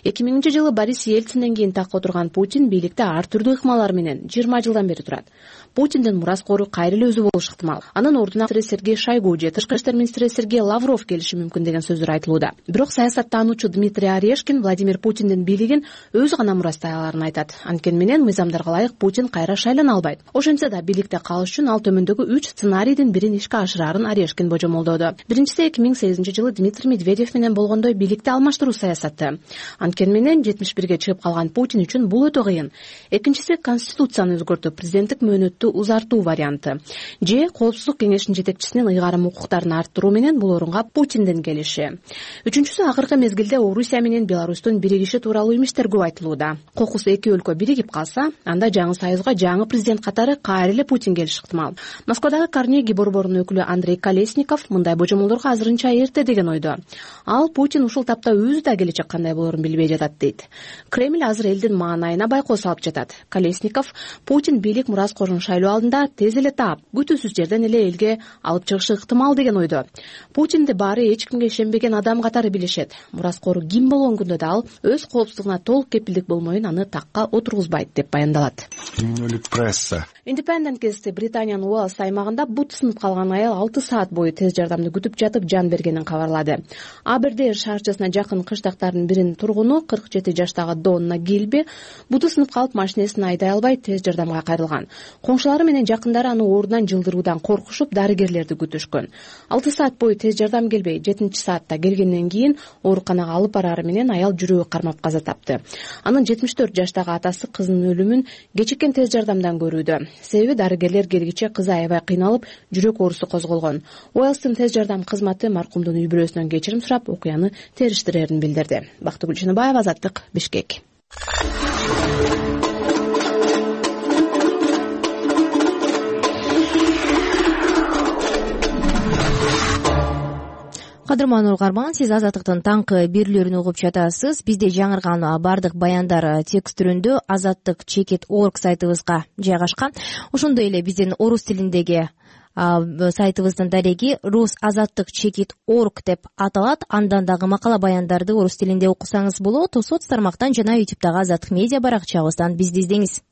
2000-жылы Борис Ельцинден кийин такка отурган Путин бийликте ар түрдүү ыкмалар менен 20 жылдан бери турат. Путиндин мураскору кайра эле өзү болушу ыктымал. Анын ордуна Сергей Шойгу же Тышкы иштер министри Сергей Лавров келиши мүмкүн деген сөздөр айтылууда. Бирок саясаттануучу Дмитрий Орешкин Владимир Путиндин бийлигин өзү гана мурастай аларын айтат. Анткени менен мыйзамдарга ылайык Путин кайра шайлана албайт. Ошентсе да бийликте калыш үчүн ал төмөндөгү 3 сценарийдин бирин ишке ашырарын Орешкин божомолдоду. Биринчиси 2008-жылы Дмитрий Медведев менен болгондой бийликти алмаштыруу саясаты. Анткени менен 71-ге чыгып калган Путин үчүн бул өтө кыйын. Экинчиси конституцияны өзгөртүп, президенттик мөөнөттү узартуу варианты. Же коопсуздук кеңешинин жетекчисинин ыйгарым укуктарын арттыруу менен бул орунга бирок Путиндин келиши. Үчүнчүсү акыркы мезгилде Орусия менен Беларустун биригиши тууралуу эместер көп айтылууда. Кокус эки өлкө биригип калса, анда жаңы союзга жаңы президент катары кайра эле Путин келиши ыктымал. Москвадагы Карнеги борборунун өкүлү Андрей Колесников мындай божомолдорго азырынча эрте деген ойдо. Ал Путин ушул тапта өзү да келечек кандай болорун билбей жатат дейт. Кремль азыр элдин маанайына байкоо салып жатат. Колесников Путин бийлик мураскорун шайлоо алдында тез эле таап, күтүүсүз жерден эле элге алып чыгышы ыктымал деген ойдо. Путинди баары эч кимге ишенбеген адам катары билишет. Мураскору ким болгон күндө да ал өз коопсуздугуна толук кепилдик болмоюн аны такка отургузбайт деп баяндалат. Independent газети Британиянын Уэльс аймагында бут сынып калган аял 6 саат бою тез жардамды күтүп жатып жан бергенин кабарлады. Абердейр шаарчасына жакын кыштактардын биринин тургуну 47 жаштагы Донна Гилби буту сынып калып машинесин айдай албай тез жардамга кайрылган. Коңшулары менен жакындары аны оорунан жылдыруудан коркушуп дарыгерлерди күтүшкөн. 6 саат бою тез жардам келбей 7-саатта келгенден кийин ооруканага алып барары менен аял жүрөгү кармап каза тапты. Анын 74 жаштагы атасы кызынын өлүмүн кечиккен тез жардамдан көрүүдө. Себеби дарыгерлер келгиче кызы аябай кыйналып, жүрөк оорусу козголгон. Уэльстин тез жардам кызматы маркумдун үй бүлөсүнөн кечирим сурап, окуяны териштирерин билдирди. Бактыгүл Чыныбаева, Азаттык, Бишкек. Кадырман угарман, сиз Азаттыктын таңкы берүүлөрүн угуп жатасыз. Бизде жаңырган бардык баяндар текст түрүндө azattik.org сайтыбызга жайгашкан. Ошондой эле биздин орус тилиндеги сайтыбыздын дареги rusazattik.org деп аталат. Андан дагы макала баяндарды орус тилинде окусаңыз болот. Соц тармактан жана YouTube'дагы Азаттык медиа баракчабыздан бизди издеңиз.